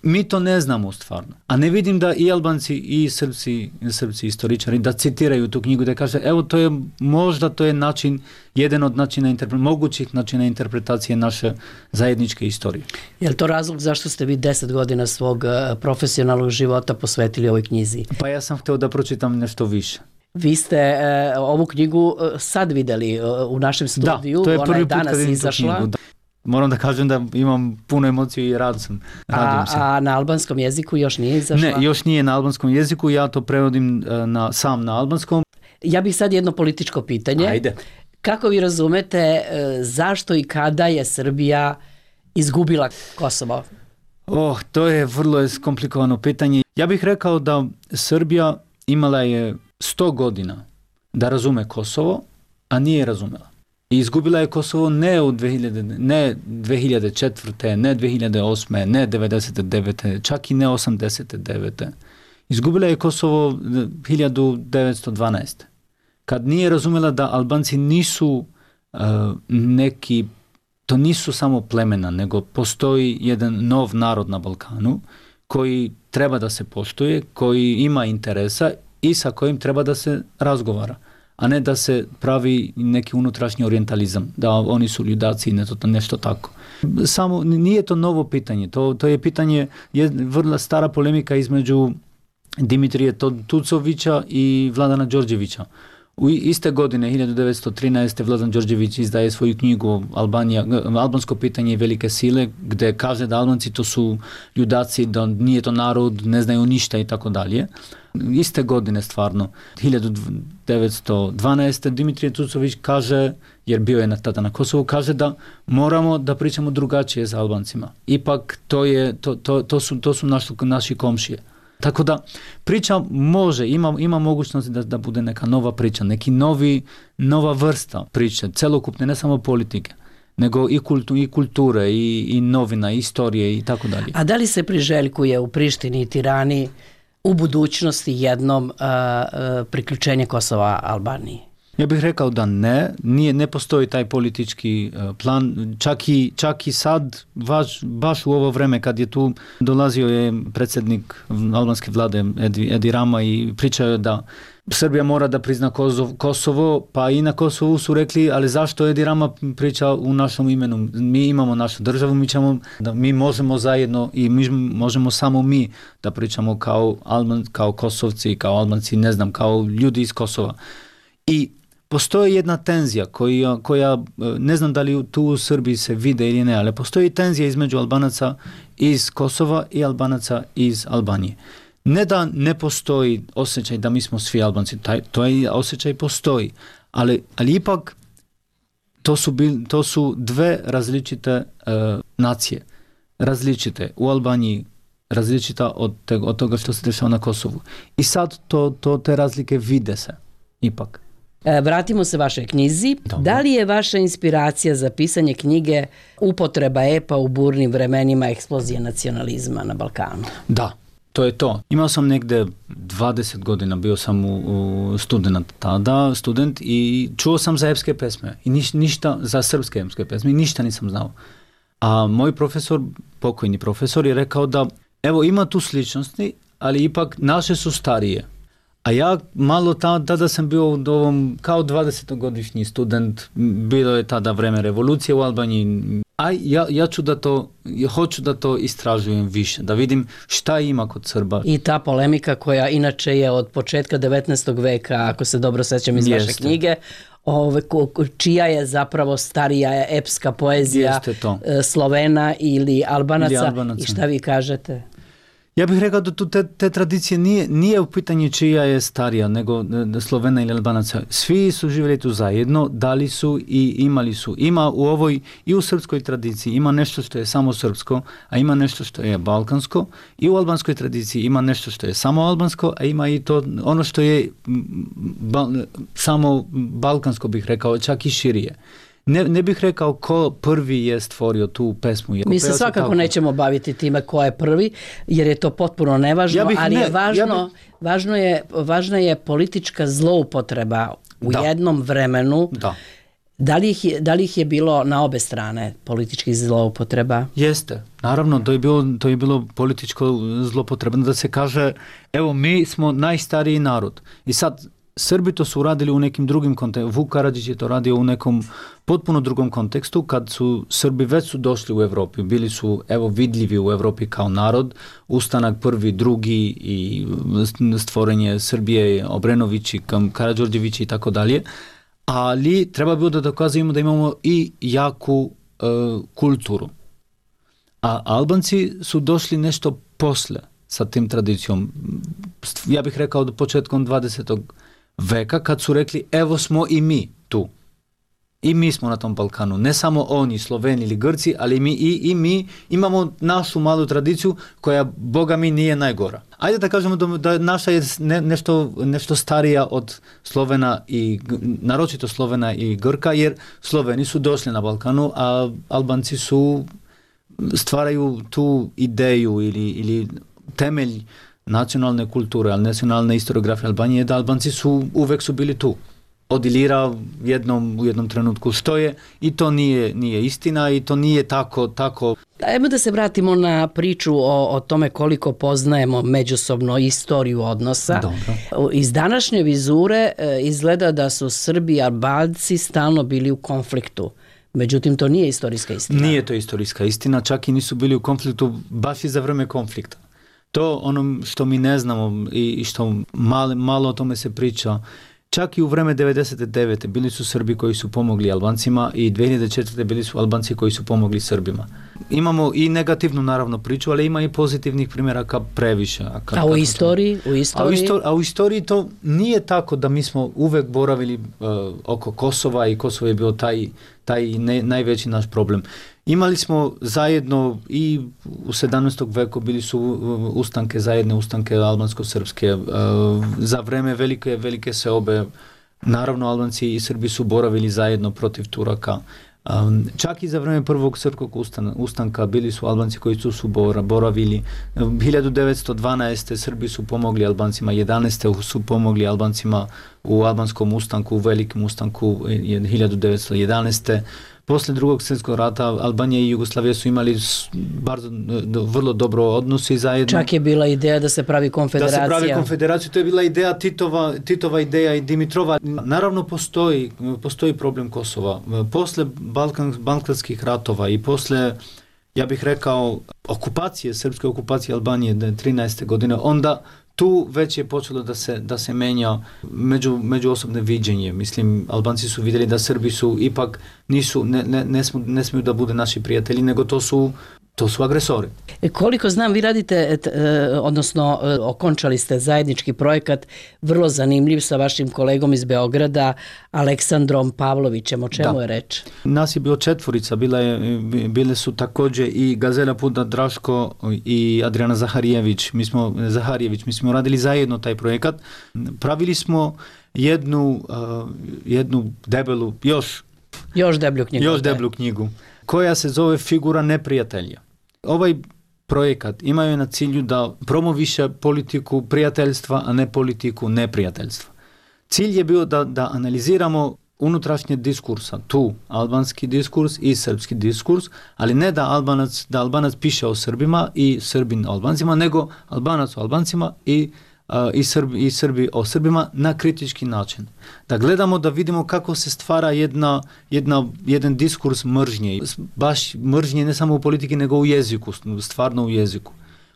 mi to ne znamo stvarno. A ne vidim da i Albanci i Srpci, Srpci istoričari da citiraju tu knjigu, da kaže evo to je možda to je način, jedan od načina mogućih načina interpretacije naše zajedničke istorije. Je li to razlog zašto ste vi deset godina svog profesionalnog života posvetili ovoj knjizi? Pa ja sam htio da pročitam nešto više. Vi ste e, ovu knjigu sad vidjeli u našem studiju, da, to je ona prvi je danas put izašla. Knjigu, da. Moram da kažem da imam puno emocije i rad sam. A, a na albanskom jeziku još nije izašla? Ne, još nije na albanskom jeziku, ja to prevodim na, sam na albanskom. Ja bih sad jedno političko pitanje. Ajde. Kako vi razumete zašto i kada je Srbija izgubila Kosovo? Oh, to je vrlo komplikovano pitanje. Ja bih rekao da Srbija imala je sto godina da razume Kosovo, a nije razumela. I izgubila je Kosovo ne u dve hiljade, ne dve hiljade četvrte, ne dve hiljade osme, ne devedeset devete, čak i ne osamdeset devete. Izgubila je Kosovo hiljadu devetsto dvanaeste. Kad nije razumela da Albanci nisu uh, neki, to nisu samo plemena, nego postoji jedan nov narod na Balkanu koji treba da se poštuje, koji ima interesa i sa kojim treba da se razgovara, a ne da se pravi neki unutrašnji orijentalizam, da oni su ljudaci i nešto, nešto tako. Samo nije to novo pitanje, to, to je pitanje, je vrlo stara polemika između Dimitrije Tucovića i Vladana Đorđevića. U iste godine, hiljadu devetsto trinaeste. Vladan Đorđević izdaje svoju knjigu Albanija, Albansko pitanje i velike sile, gde kaže da Albanci to su ljudaci, da nije to narod, ne znaju ništa i tako dalje. Iste godine stvarno, hiljadu devetsto dvanaeste. Dimitrije Tucović kaže, jer bio je tada na Kosovu, kaže da moramo da pričamo drugačije sa Albancima. Ipak to, je, to, to, to su, to su naši, naši komšije. Tako da priča može, ima, ima mogućnost da, da bude neka nova priča, neki novi, nova vrsta priče, celokupne, ne samo politike, nego i, kultu, i kulture, i, i novina, i istorije i tako dalje. A da li se priželjkuje u Prištini i Tirani u budućnosti jednom uh, uh, priključenje Kosova Albaniji? Ja bih rekao da ne, nije, ne postoji taj politički uh, plan, čak i, čak i sad, baš, baš u ovo vreme kad je tu dolazio je predsjednik albanske vlade Edi, Edi Rama i pričao je da Srbija mora da prizna Kosovo, Kosovo, pa i na Kosovu su rekli, ali zašto Edi Rama priča u našom imenu? Mi imamo našu državu, mi, ćemo, da mi možemo zajedno i mi možemo samo mi da pričamo kao, Alban, kao Kosovci, kao Albanci, ne znam, kao ljudi iz Kosova. I postoji jedna tenzija koja, koja, ne znam da li tu u Srbiji se vide ili ne, ali postoji tenzija između Albanaca iz Kosova i Albanaca iz Albanije. Ne da ne postoji osjećaj da mi smo svi Albanci, taj, to je osjećaj postoji, ali, ali ipak to su, bil, to su dve različite uh, nacije, različite u Albaniji, različita od, te, od toga što se dešava na Kosovu. I sad to, to, te razlike vide se, ipak. Vratimo se vašoj knjizi. Dobro. Da li je vaša inspiracija za pisanje knjige upotreba epa u burnim vremenima eksplozije nacionalizma na Balkanu? Da, to je to. Imao sam negde dvadeset godina, bio sam u, u student tada, student i čuo sam za epske pesme i niš, ništa, za srpske epske pesme i ništa nisam znao. A moj profesor, pokojni profesor, je rekao da evo ima tu sličnosti, ali ipak naše su starije. A ja malo tada, tada sam bio u ovom, kao dvadesetogodišnji student, bilo je tada vreme revolucije u Albaniji, a ja, ja ću da to, ja hoću da to istražujem više, da vidim šta ima kod Srba. I ta polemika koja inače je od početka devetnaestog veka, ako se dobro sećam iz Jeste. Vaše knjige, ove, čija je zapravo starija epska poezija Slovena ili Albanaca, ili Albanaca i šta vi kažete? Ja bih rekao da tu te, te tradicije nije, nije u pitanju čija je starija nego Slovena ili Albanaca. Svi su živjeli tu zajedno, dali su i imali su. Ima u ovoj i u srpskoj tradiciji ima nešto što je samo srpsko, a ima nešto što je balkansko. I u albanskoj tradiciji ima nešto što je samo albansko, a ima i to ono što je ba, samo balkansko, bih rekao, čak i širije. Ne, ne bih rekao ko prvi je stvorio tu pesmu. Mi se svakako tako. Nećemo baviti time ko je prvi, jer je to potpuno nevažno, ja bih, ali ne, je važno, ja bih... važno je, važna je politička zloupotreba u da. jednom vremenu. Da. Da li, ih je, da li ih je bilo na obe strane političkih zloupotreba? Jeste. Naravno, to je bilo, to je bilo političko zloupotrebno da se kaže, evo mi smo najstariji narod. I sad Srbi to su uradili u nekim drugim kontekstu. Vuk Karadžić je to radio u nekom potpuno drugom kontekstu, kad su Srbi već su došli u Evropi, bili su evo vidljivi u Evropi kao narod, ustanak prvi, drugi i stvorenje Srbije, Obrenovići, Karađorđevići i tako dalje, ali treba bilo da dokazujemo da imamo i jaku e, kulturu. A Albanci su došli nešto posle sa tim tradicijom. Ja bih rekao do početkom dvadesetog veka, kad su rekli evo smo i mi tu. I mi smo na tom Balkanu, ne samo oni, Sloveni ili Grci, ali mi, i, i mi imamo našu malu tradiciju koja, boga mi, nije najgora. Ajde da kažemo da, da naša je ne, nešto, nešto starija od Slovena i, naročito Slovena i Grka, jer Sloveni su došli na Balkanu, a Albanci su stvaraju tu ideju ili, ili temelj nacionalne kulture, ali nacionalne historiografije Albanije, da Albanci su uvek su bili tu. Od Ilira jednom, u jednom trenutku stoje i to nije, nije istina i to nije tako, tako. Ajmo da se vratimo na priču o, o tome koliko poznajemo međusobno istoriju odnosa. Dobro. Iz današnje vizure e, izgleda da su Srbi i Albanci stalno bili u konfliktu. Međutim, to nije istorijska istina. Nije to istorijska istina, čak i nisu bili u konfliktu baš i za vreme konflikta. To ono što mi ne znamo i što malo, malo o tome se priča. Čak i u vreme devedeset devete bili su Srbi koji su pomogli Albancima i dve hiljade četvrte bili su Albanci koji su pomogli Srbima. Imamo i negativnu naravno priču, ali ima i pozitivnih primjeraka previše. A, kad, a u istoriji? U istoriji? A, u istoriji, a u istoriji to nije tako da mi smo uvek boravili uh, oko Kosova i Kosovo je bio taj, taj ne, najveći naš problem. Imali smo zajedno i u sedamnaestom veku bili su ustanke, zajedne ustanke albansko-srpske. Za vreme velike, velike seobe, naravno Albanci i Srbi su boravili zajedno protiv Turaka. Čak i za vreme prvog srpskog ustanka bili su Albanci koji su, su boravili. hiljadu devetsto dvanaeste. Srbi su pomogli Albancima, jedanaeste. su pomogli Albancima u albanskom ustanku, u velikom ustanku hiljadu devetsto jedanaeste. Posle drugog svjetskog rata Albanija i Jugoslavija su imali bardzo, vrlo dobro odnosi zajedno. Čak je bila ideja da se pravi konfederacija. Da se pravi konfederacija, to je bila ideja Titova, Titova ideja i Dimitrova. Naravno postoji, postoji problem Kosova. Posle Balkan, balkanskih ratova i posle, ja bih rekao, okupacije, srpske okupacije Albanije trinaeste godine, onda tu već je počelo da se, da se menja među, međuosobne viđenje. Mislim, Albanci su vidjeli da Srbi su ipak nisu, ne, ne, ne, smiju, ne smiju da bude naši prijatelji, nego to su To su agresori. Koliko znam, vi radite, odnosno okončali ste zajednički projekat, vrlo zanimljiv sa vašim kolegom iz Beograda, Aleksandrom Pavlovićem. O čemu da. je reč? Nas je bilo četvorica, bila je, bile su također i Gazela Puda Draško i Adriana Zaharijević. Mi smo, Zaharijević, mi smo radili zajedno taj projekat. Pravili smo jednu, uh, jednu debelu, još, još deblju knjigu. Još deblju knjigu. Koja se zove Figura neprijatelja. Ovaj projekat imaju na cilju da promoviše politiku prijateljstva, a ne politiku neprijateljstva. Cilj je bio da, da analiziramo unutrašnje diskursa, tu albanski diskurs i srpski diskurs, ali ne da Albanac, da Albanac piše o Srbima i Srbin o Albancima, nego Albanac o Albancima i Uh, i, Srbi, i Srbi o Srbima na kritički način. Da gledamo, da vidimo kako se stvara jedna, jedna, jedan diskurs mržnje. Baš mržnje ne samo u politiki, nego u jeziku, stvarno u jeziku,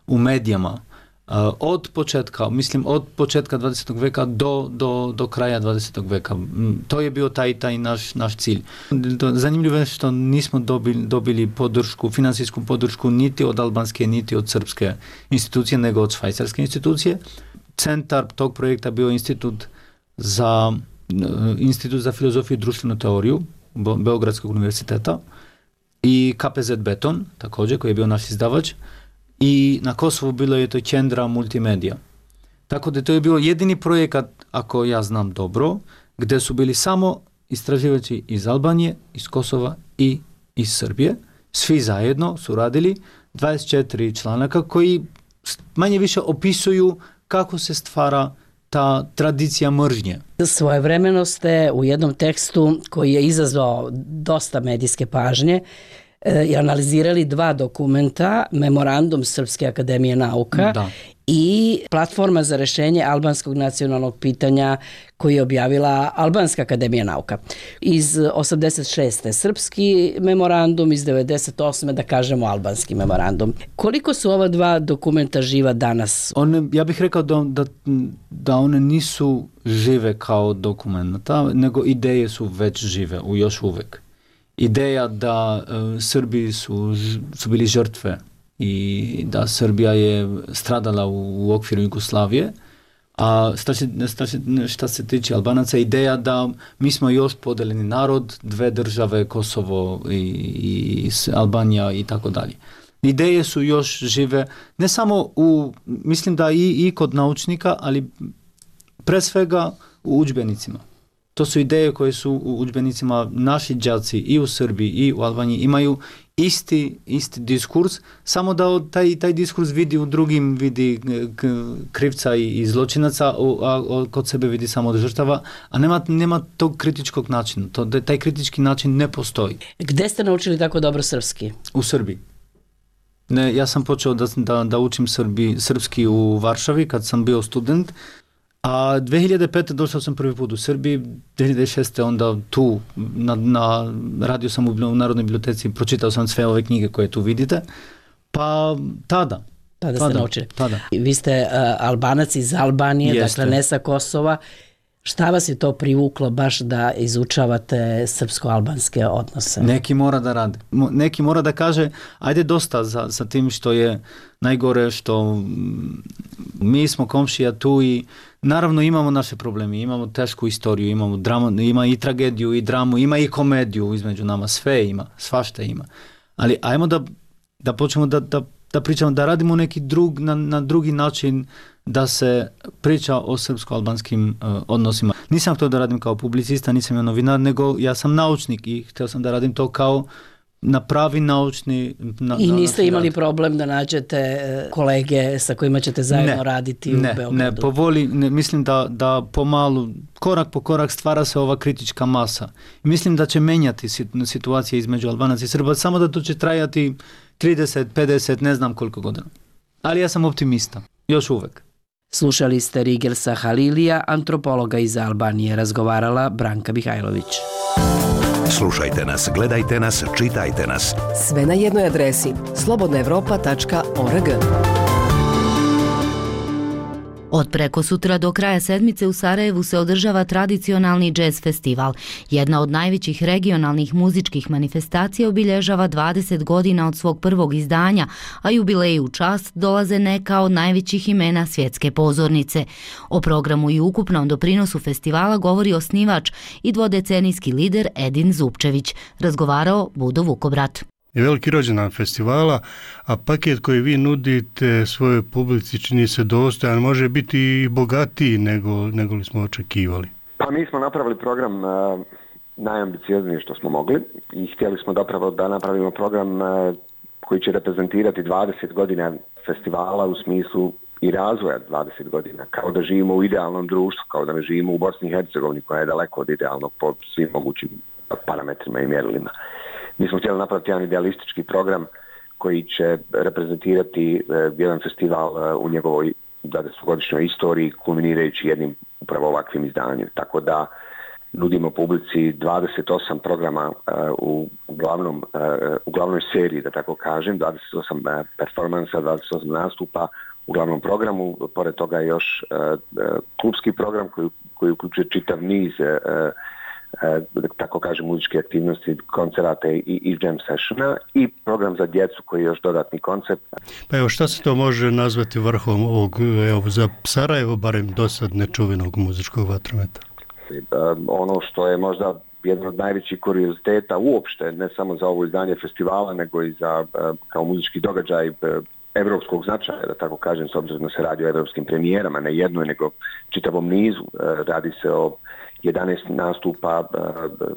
u medijama. Uh, od početka, mislim od početka dvadesetog veka do, do, do kraja dvadesetog veka. To je bio taj, taj naš, naš cilj. Zanimljivo je što nismo dobili, dobili podršku, finansijsku podršku niti od albanske, niti od srpske institucije, nego od švajcarske institucije. Centar tog projekta bio institut za, institut za filozofiju i društvenu teoriju Beogradskog univerziteta i K P Z Beton, također, koji je bio naš izdavač, i na Kosovu bilo je to Kendra Multimedija. Tako da to je bio jedini projekat, ako ja znam dobro, gdje su bili samo istraživači iz Albanije, iz Kosova i iz Srbije. Svi zajedno su radili dvadeset četiri članaka koji manje više opisuju kako se stvara ta tradicija mržnje. Svojevremeno ste u jednom tekstu koji je izazvao dosta medijske pažnje i analizirali dva dokumenta, Memorandum Srpske akademije nauka da. i Platforma za rešenje albanskog nacionalnog pitanja koji je objavila Albanska akademija nauka. Iz osamdeset šeste srpski memorandum, iz devedeset osme da kažemo albanski memorandum. Koliko su ova dva dokumenta živa danas? One, ja bih rekao da, da, da one nisu žive kao dokumenta, nego ideje su već žive, u još uvek. Ideja da uh, Srbi su, su bili žrtve i da Srbija je stradala u, u okviru Jugoslavije, A šta se, šta, se, šta se tiče Albanaca, ideja da mi smo još podeljeni narod, dve države, Kosovo i, i Albanija i tako dalje. Ideje su još žive, ne samo u, mislim da i, i kod naučnika, ali pre svega u udžbenicima. To su ideje koje su u udžbenicima, naši đaci i u Srbiji i u Albaniji imaju isti, isti diskurs, samo da taj, taj diskurs vidi u drugim, vidi krivca i, i zločinaca, a, a kod sebe vidi samo od žrtava, a nema, nema tog kritičkog načina. To, taj kritički način ne postoji. Gde ste naučili tako dobro srpski? U Srbiji. Ne, ja sam počeo da, da, da učim Srbi, srpski u Varšavi kad sam bio student, a dve hiljade pete došao sam prvi put u Srbiji, dve hiljade šeste onda tu, na, na, radio sam u, u Narodnoj biblioteci, pročitao sam sve ove knjige koje tu vidite, pa tada. Tada ste naučili. Tada. Vi ste uh, Albanac iz Albanije, Jeste. Dakle ne sa Kosova. Šta vas je to privuklo baš da izučavate srpsko-albanske odnose? Neki mora da rade. Neki mora da kaže, ajde dosta za, za tim što je najgore, što mi smo komšija tu i naravno imamo naše probleme, imamo tešku istoriju, imamo dramu, ima i tragediju i dramu, ima i komediju između nama, sve ima, svašta ima. Ali ajmo da, da počnemo da, da, da pričamo, da radimo neki drug, na, na drugi način, da se priča o srpsko-albanskim uh, odnosima. Nisam htio da radim kao publicista, nisam ja novinar, nego ja sam naučnik i htio sam da radim to kao na pravi naučni... Na, I niste imali rad. problem da nađete kolege sa kojima ćete zajedno ne, raditi ne, u Beogradu? Ne, po voli, ne, mislim da, da pomalu, korak po korak stvara se ova kritička masa. I mislim da će menjati situacije između Albanaca i Srba, samo da to će trajati trideset, pedeset, ne znam koliko godina. Ali ja sam optimista, još uvek. Slušali ste Rigelsa Halilija, antropologa iz Albanije, razgovarala Branka Mihajlović. Slušajte nas, gledajte nas, čitajte nas. Sve na jednoj adresi slobodna evropa tačka org. Od preko sutra do kraja sedmice u Sarajevu se održava tradicionalni džez festival. Jedna od najvećih regionalnih muzičkih manifestacija obilježava dvadeset godina od svog prvog izdanja, a jubileji u čast dolaze neka od najvećih imena svjetske pozornice. O programu i ukupnom doprinosu festivala govori osnivač i dvodecenijski lider Edin Zupčević. Razgovarao Budo Vukobrat. Je veliki rođendan festivala, a paket koji vi nudite svojoj publici čini se dostojan, može biti i bogatiji nego, nego li smo očekivali. Pa mi smo napravili program uh, najambiciozniji što smo mogli i htjeli smo zapravo da napravimo program uh, koji će reprezentirati dvadeset godina festivala u smislu i razvoja dvadeset godina, kao da živimo u idealnom društvu, kao da ne živimo u Bosni i Hercegovini koja je daleko od idealnog po svim mogućim parametrima i mjerilima. Mi smo htjeli napraviti jedan idealistički program koji će reprezentirati uh, jedan festival uh, u njegovoj dvadesetogodišnjoj istoriji, kulminirajući jednim upravo ovakvim izdanjem. Tako da nudimo publici dvadeset osam programa uh, u, glavnom, uh, u glavnoj seriji, da tako kažem, dvadeset osam uh, performansa, dvadeset osam nastupa u glavnom programu. Pored toga je još uh, uh, klubski program koji, koji uključuje čitav niz uh, E, tako kažem, muzičke aktivnosti, koncerata i, i jam sessiona i program za djecu koji je još dodatni koncept. Pa evo, šta se to može nazvati vrhom ovog, evo, za Sarajevo, barem dosad nečuvenog muzičkog vatrometa? E, ono što je možda jedan od najvećih kurioziteta uopšte, ne samo za ovo izdanje festivala, nego i za kao muzički događaj evropskog značaja, da tako kažem, s obzirom da se radi o evropskim premijerama, ne jednoj, nego čitavom nizu. Radi se o jedanaest nastupa uh,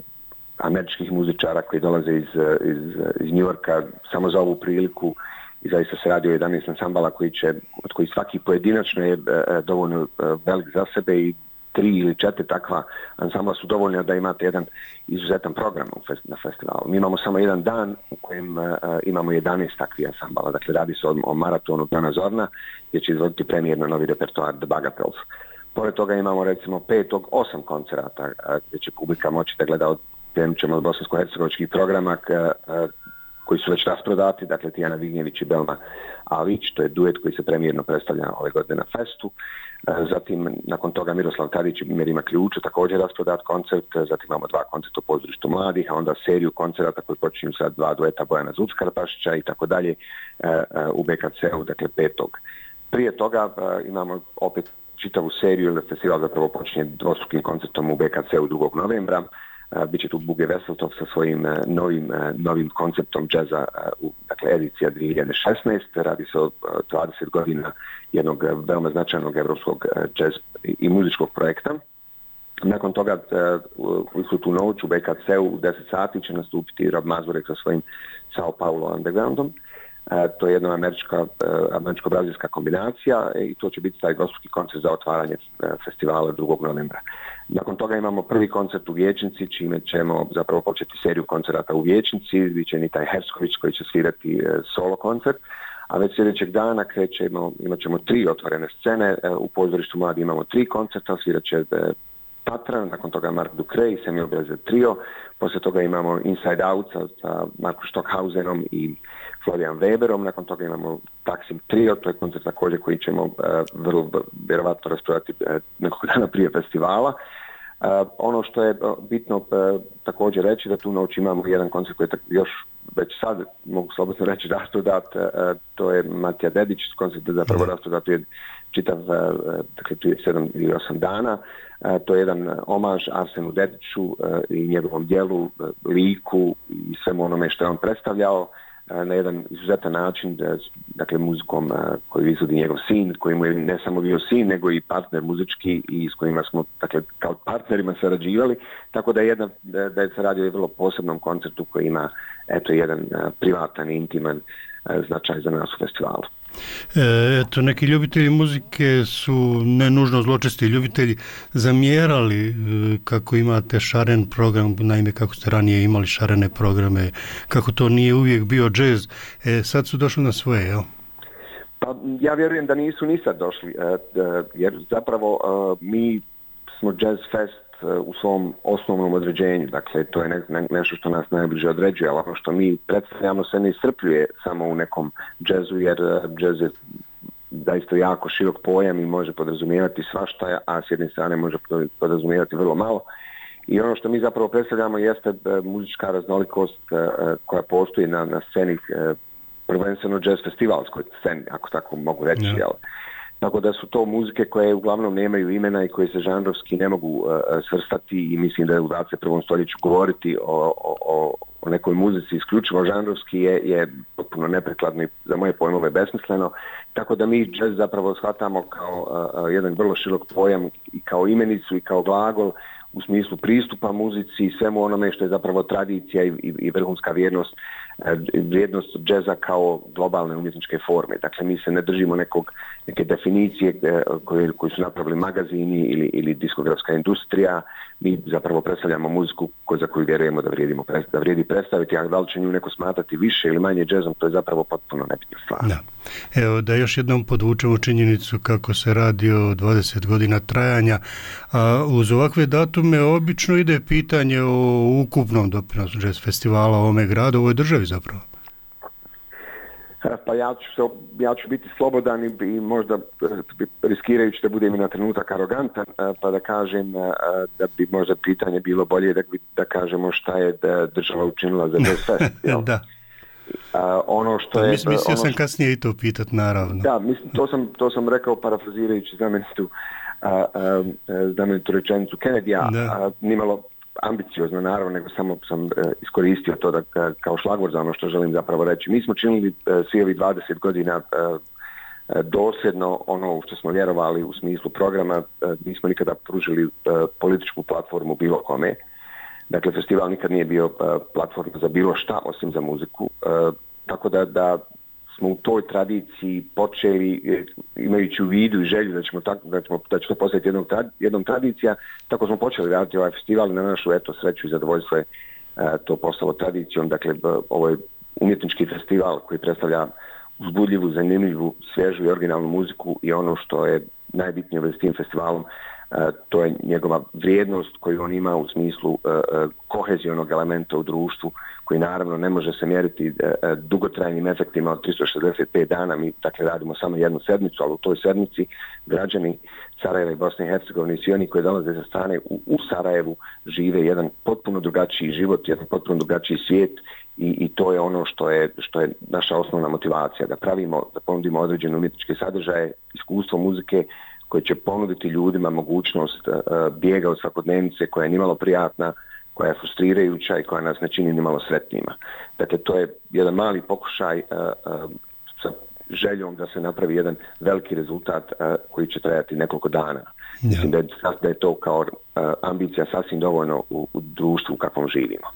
američkih muzičara koji dolaze iz, iz, iz New Yorka samo za ovu priliku i zaista se radi o jedanaest ansambala koji će, od koji svaki pojedinačno je uh, dovoljno uh, velik za sebe i tri ili četiri takva ansambla su dovoljno da imate jedan izuzetan program fest, na festivalu. Mi imamo samo jedan dan u kojem uh, imamo jedanaest takvih ansambala, dakle radi se o, o maratonu Dana Zorna gdje će izvoditi premijerno novi repertoar The Bagatelles. Pored toga imamo recimo petog osam koncerata gdje će publika moći da gleda od, od bosansko-hercegovačkih programa k, koji su već rasprodati, dakle Tijana Vignjević i Belma Alić, to je duet koji se premijerno predstavlja ove godine na festu. Zatim, nakon toga Miroslav Tadić i Merima Ključa, također rasprodat koncert, zatim imamo dva koncerta u pozorištu mladih, a onda seriju koncerata koji počinju sad dva dueta Bojana Zuckarpašića i tako dalje u B K C-u, dakle petog. Prije toga imamo opet čitavu seriju, jer festival zapravo počinje dvostrukim koncertom u B K C u drugog novembra. Biće tu Buge Veseltov sa svojim novim, novim konceptom džeza, dakle edicija dvije hiljade šesnaeste. Radi se o dvadeset godina jednog veoma značajnog evropskog džez i muzičkog projekta. Nakon toga u istu tu noć u B K C u deset sati će nastupiti Rob Mazurek sa svojim Sao Paulo Undergroundom. To je jedna američka, američko-brazilska kombinacija i to će biti taj dvostruki koncert za otvaranje festivala drugog novembra. Nakon toga imamo prvi koncert u Vijećnici, čime ćemo zapravo početi seriju koncerata u Vijećnici. Biće Nitaj Hersković koji će svirati solo koncert, a već sljedećeg dana krećemo, imat ćemo tri otvorene scene. U Pozorištu Mladi imamo tri koncerta, svirat će Patran, nakon toga Mark Ducre i Samuel Brezer trio. Poslije toga imamo Inside Out sa Marko Stockhausenom i Florian Weberom, nakon toga imamo Taksim trio, to je koncert također koji ćemo uh, vrlo vjerovatno raspravljati uh, nekog dana prije festivala. Uh, ono što je bitno uh, također reći da tu noć imamo jedan koncert koji je još već sad, mogu slobodno reći, rasprodat, uh, to je Matija Dedić, koncert je zapravo rasprodat je čitav, uh, dakle tu je sedam ili osam dana. Uh, to je jedan omaž Arsenu Dediću uh, i njegovom djelu, uh, liku i svemu onome što je on predstavljao na jedan izuzetan način, dakle muzikom koju izvodi njegov sin, koji mu je ne samo bio sin, nego i partner muzički i s kojima smo, dakle, kao partnerima sarađivali, tako da je, jedna, da je se radio i vrlo posebnom koncertu koji ima, eto, jedan privatan i intiman značaj za nas u festivalu. E, eto, neki ljubitelji muzike su ne nužno zločesti ljubitelji zamjerali kako imate šaren program, naime kako ste ranije imali šarene programe, kako to nije uvijek bio džez. E, sad su došli na svoje, jel? Pa ja vjerujem da nisu ni sad došli, jer zapravo mi smo Jazz Fest u svom osnovnom određenju, dakle to je ne, ne, nešto što nas najbliže određuje, ali ono što mi predstavljamo se ne iscrpljuje samo u nekom džezu, jer džez je zaista jako širok pojam i može podrazumijevati svašta, a s jedne strane može podrazumijevati vrlo malo. I ono što mi zapravo predstavljamo jeste muzička raznolikost koja postoji na, na sceni, prvenstveno jazz festivalskoj sceni, ako tako mogu reći, yeah. jel? Tako da su to muzike koje uglavnom nemaju imena i koje se žanrovski ne mogu uh, svrstati i mislim da je u dvadeset prvom stoljeću govoriti o, o, o nekoj muzici isključivo žanrovski je, je potpuno neprekladno i za moje pojmove besmisleno. Tako da mi jazz zapravo shvatamo kao uh, jedan vrlo širok pojam i kao imenicu i kao glagol u smislu pristupa muzici i svemu onome što je zapravo tradicija i, i, i vrhunska vrijednost, vrijednost džeza kao globalne umjetničke forme. Dakle, mi se ne držimo nekog, neke definicije koje, koje su napravili magazini ili, ili diskografska industrija. Mi zapravo predstavljamo muziku za koju vjerujemo da, vrijedimo, da vrijedi predstaviti, a da li će nju neko smatrati više ili manje džezom, to je zapravo potpuno nebitna stvar. Da. Evo da još jednom podvučemo činjenicu kako se radi o dvadeset godina trajanja, a uz ovakve datume obično ide pitanje o ukupnom doprinosu jazz festivala u ovome gradu, u ovoj državi zapravo. Pa ja ću, ja ću biti slobodan i, i možda riskirajući da budem i na trenutak arogantan, pa da kažem da bi možda pitanje bilo bolje da, da kažemo šta je da država učinila za Jazz Fest. Da. Uh, ono što je, Mislio ono sam što, kasnije i to pitat, naravno. Da, mislim, to sam, to sam rekao parafrazirajući znamenitu, uh, uh, znamenitu rečenicu Kennedy-a, uh, nimalo ambiciozno naravno, nego samo sam uh, iskoristio to da, kao šlagvor za ono što želim zapravo reći. Mi smo činili uh, svi ovih dvadeset godina uh, dosljedno ono u što smo vjerovali u smislu programa, uh, nismo nikada pružili uh, političku platformu bilo kome. Dakle, festival nikad nije bio uh, platforma za bilo šta osim za muziku. Uh, tako da, da smo u toj tradiciji počeli, imajući u vidu i želju da ćemo tako, da ćemo, da će to postati jednom, jednom tradicija, tako smo počeli raditi ovaj festival i na našu eto sreću i zadovoljstvo je uh, to postalo tradicijom. Dakle, ovo je umjetnički festival koji predstavlja uzbudljivu, zanimljivu, svježu i originalnu muziku i ono što je najbitnije u s tim festivalom, Uh, to je njegova vrijednost koju on ima u smislu uh, uh, kohezionog elementa u društvu, koji naravno ne može se mjeriti uh, uh, dugotrajnim efektima od tristo šezdeset pet dana. Mi dakle radimo samo jednu sedmicu, ali u toj sedmici građani Sarajeva i Bosne i Hercegovine i svi oni koji dolaze sa strane u, u Sarajevu žive jedan potpuno drugačiji život, jedan potpuno drugačiji svijet i, i to je ono što je, što je naša osnovna motivacija, da pravimo, da ponudimo određene umjetničke sadržaje, iskustvo muzike koji će ponuditi ljudima mogućnost uh, bijega od svakodnevnice koja je nimalo prijatna, koja je frustrirajuća i koja nas ne čini nimalo sretnima. Dakle, to je jedan mali pokušaj uh, uh, sa željom da se napravi jedan veliki rezultat uh, koji će trajati nekoliko dana. Ja. Mislim da je, da je to kao uh, ambicija sasvim dovoljno u, u društvu u kakvom živimo.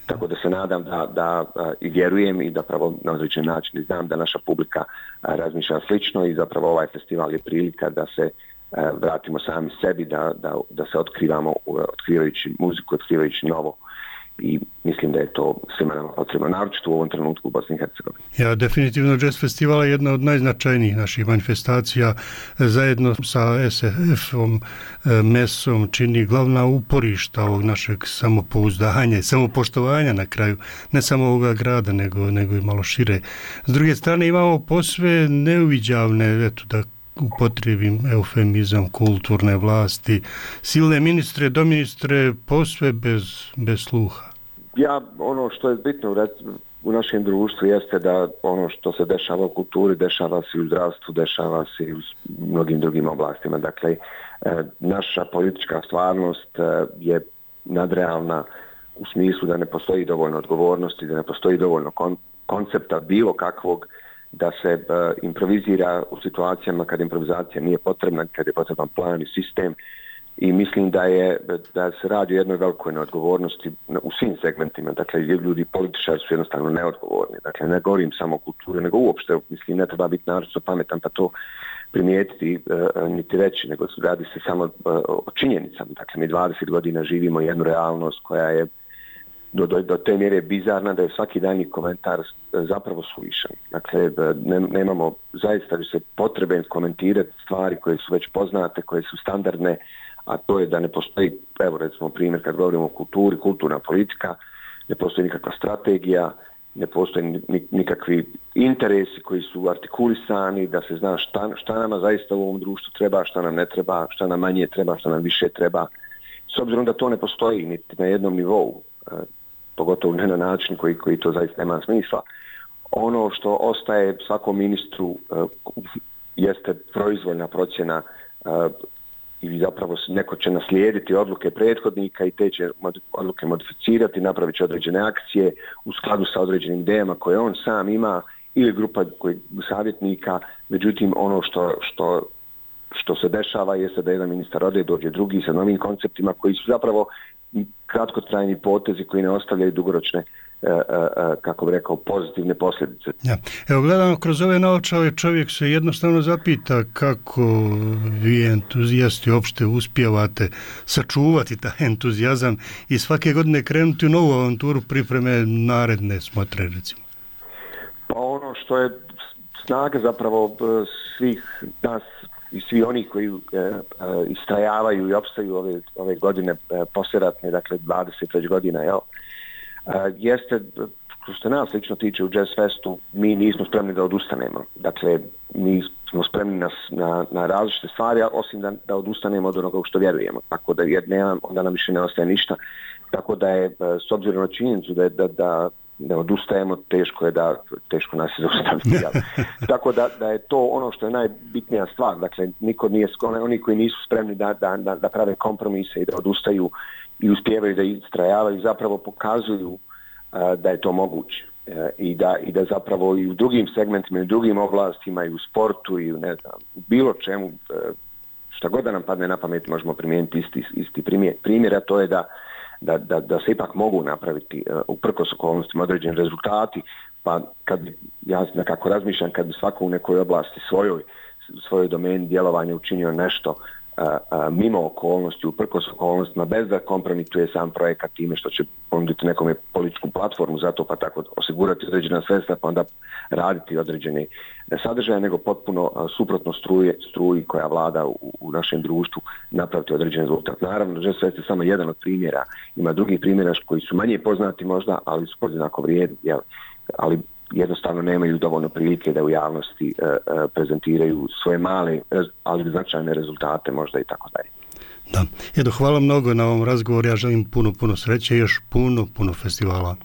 Tako da se nadam da, da uh, i vjerujem i da pravo na određen način znam da naša publika uh, razmišlja slično i zapravo ovaj festival je prilika da se uh, vratimo sami sebi, da, da, da se otkrivamo, uh, otkrivajući muziku, otkrivajući novo. I mislim da je to svima nama potrebno, naročito u ovom trenutku u Bosni i Hercegovini. Ja, definitivno Jazz Festival je jedna od najznačajnijih naših manifestacija. Zajedno sa es ef om, mesom čini glavna uporišta ovog našeg samopouzdanja i samopoštovanja na kraju, ne samo ovoga grada, nego, nego i malo šire. S druge strane imamo posve neuviđavne, eto da upotrijebim eufemizam, kulturne vlasti, silne ministre, doministre, posve bez, bez sluha. Ja, ono što je bitno u, u našem društvu jeste da ono što se dešava u kulturi, dešava se u zdravstvu, dešava se i u mnogim drugim oblastima. Dakle, e, naša politička stvarnost e, je nadrealna u smislu da ne postoji dovoljno odgovornosti, da ne postoji dovoljno kon, koncepta bilo kakvog da se uh, improvizira u situacijama kad improvizacija nije potrebna, kad je potreban plan i sistem i mislim da je da se radi o jednoj velikoj neodgovornosti u svim segmentima. Dakle, ljudi političari su jednostavno neodgovorni. Dakle, ne govorim samo o kulturi, nego uopšte, mislim, ne treba biti naročito pametan pa to primijetiti uh, niti reći, nego radi se samo uh, o činjenicama. Dakle, mi dvadeset godina živimo jednu realnost koja je Do, do, do te mjere bizarna da je svaki danji komentar zapravo suvišan. Dakle, ne, nemamo zaista se potrebe komentirati stvari koje su već poznate, koje su standardne, a to je da ne postoji, evo recimo primjer kad govorimo o kulturi, kulturna politika, ne postoji nikakva strategija, ne postoji nikakvi interesi koji su artikulisani, da se zna šta, šta nama zaista u ovom društvu treba, šta nam ne treba, šta nam manje treba, šta nam više treba. S obzirom da to ne postoji niti na jednom nivou, pogotovo ne na način koji, koji to zaista nema smisla. Ono što ostaje svakom ministru uh, jeste proizvoljna procjena uh, i zapravo neko će naslijediti odluke prethodnika i te će odluke modificirati, napravit će određene akcije u skladu sa određenim idejama koje on sam ima ili grupa koji, savjetnika. Međutim, ono što, što, što se dešava jeste da jedan ministar ode, dođe drugi sa novim konceptima koji su zapravo kratkotrajni potezi koji ne ostavljaju dugoročne, uh, uh, kako bi rekao, pozitivne posljedice. Ja. Evo, gledamo kroz ove naočale, čovjek se jednostavno zapita kako vi entuzijasti uopšte uspijevate sačuvati taj entuzijazam i svake godine krenuti u novu avanturu pripreme naredne smotre, recimo. Pa ono što je snaga zapravo svih nas i svi oni koji uh, uh, istrajavaju i opstaju ove, ove godine uh, poslijeratne, dakle dvadeset već godina, jel? Uh, jeste, što nas lično tiče u Jazz Festu, mi nismo spremni da odustanemo. Dakle, mi smo spremni na, na, na različite stvari, osim da, da odustanemo od onoga u što vjerujemo. Tako da jer nema, onda nam više ne ostaje ništa. Tako da je, uh, s obzirom na činjenicu da, da, da ne odustajemo, teško je da, teško nas je zaustaviti. Tako da, da je to ono što je najbitnija stvar. Dakle, niko nije, oni koji nisu spremni da, da, da prave kompromise i da odustaju i uspijevaju da istrajavaju, zapravo pokazuju uh, da je to moguće. Uh, i, da, I da zapravo i u drugim segmentima, i u drugim oblastima, i u sportu, i u ne znam, bilo čemu, uh, šta god da nam padne na pamet, možemo primijeniti isti, isti primjer. Primjer, a to je da Da, da, da se ipak mogu napraviti uh, uprkos okolnostima određeni rezultati, pa kad bi, ja nekako razmišljam, kad bi svako u nekoj oblasti svojoj, svojoj domeni djelovanja učinio nešto uh, uh, mimo okolnosti, uprkos okolnostima, bez da kompromituje sam projekat time što će ponuditi nekome političku platformu za to, pa tako osigurati određena sredstva, pa onda raditi određene sadržaje, nego potpuno uh, suprotno struje, struji koja vlada u, u našem društvu napraviti određen rezultat. Naravno, Jazz Fest je samo jedan od primjera. Ima drugih primjera koji su manje poznati možda, ali su podjednako vrijedni, jel? Ali jednostavno nemaju dovoljno prilike da u javnosti uh, uh, prezentiraju svoje male, ali značajne rezultate možda i tako dalje. Da. Edo, hvala mnogo na ovom razgovoru. Ja želim puno, puno sreće i još puno, puno festivala.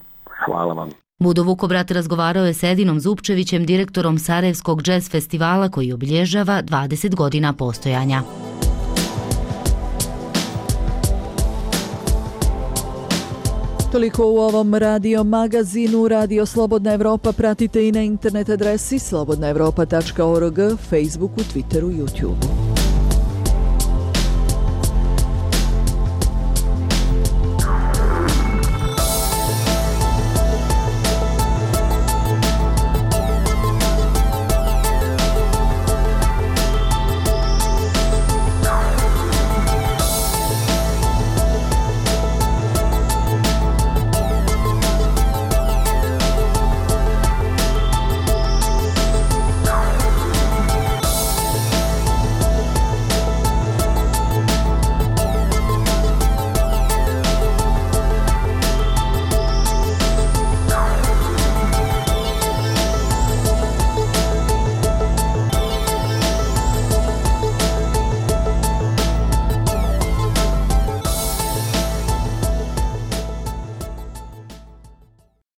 Hvala vam. Budo Vukobrat razgovarao je s Edinom Zupčevićem, direktorom Sarajevskog džez festivala koji obilježava dvadeset godina postojanja. Toliko u ovom radio magazinu. Radio Slobodna Evropa pratite i na internet adresi slobodna evropa tačka org, Facebooku, Twitteru, YouTubeu.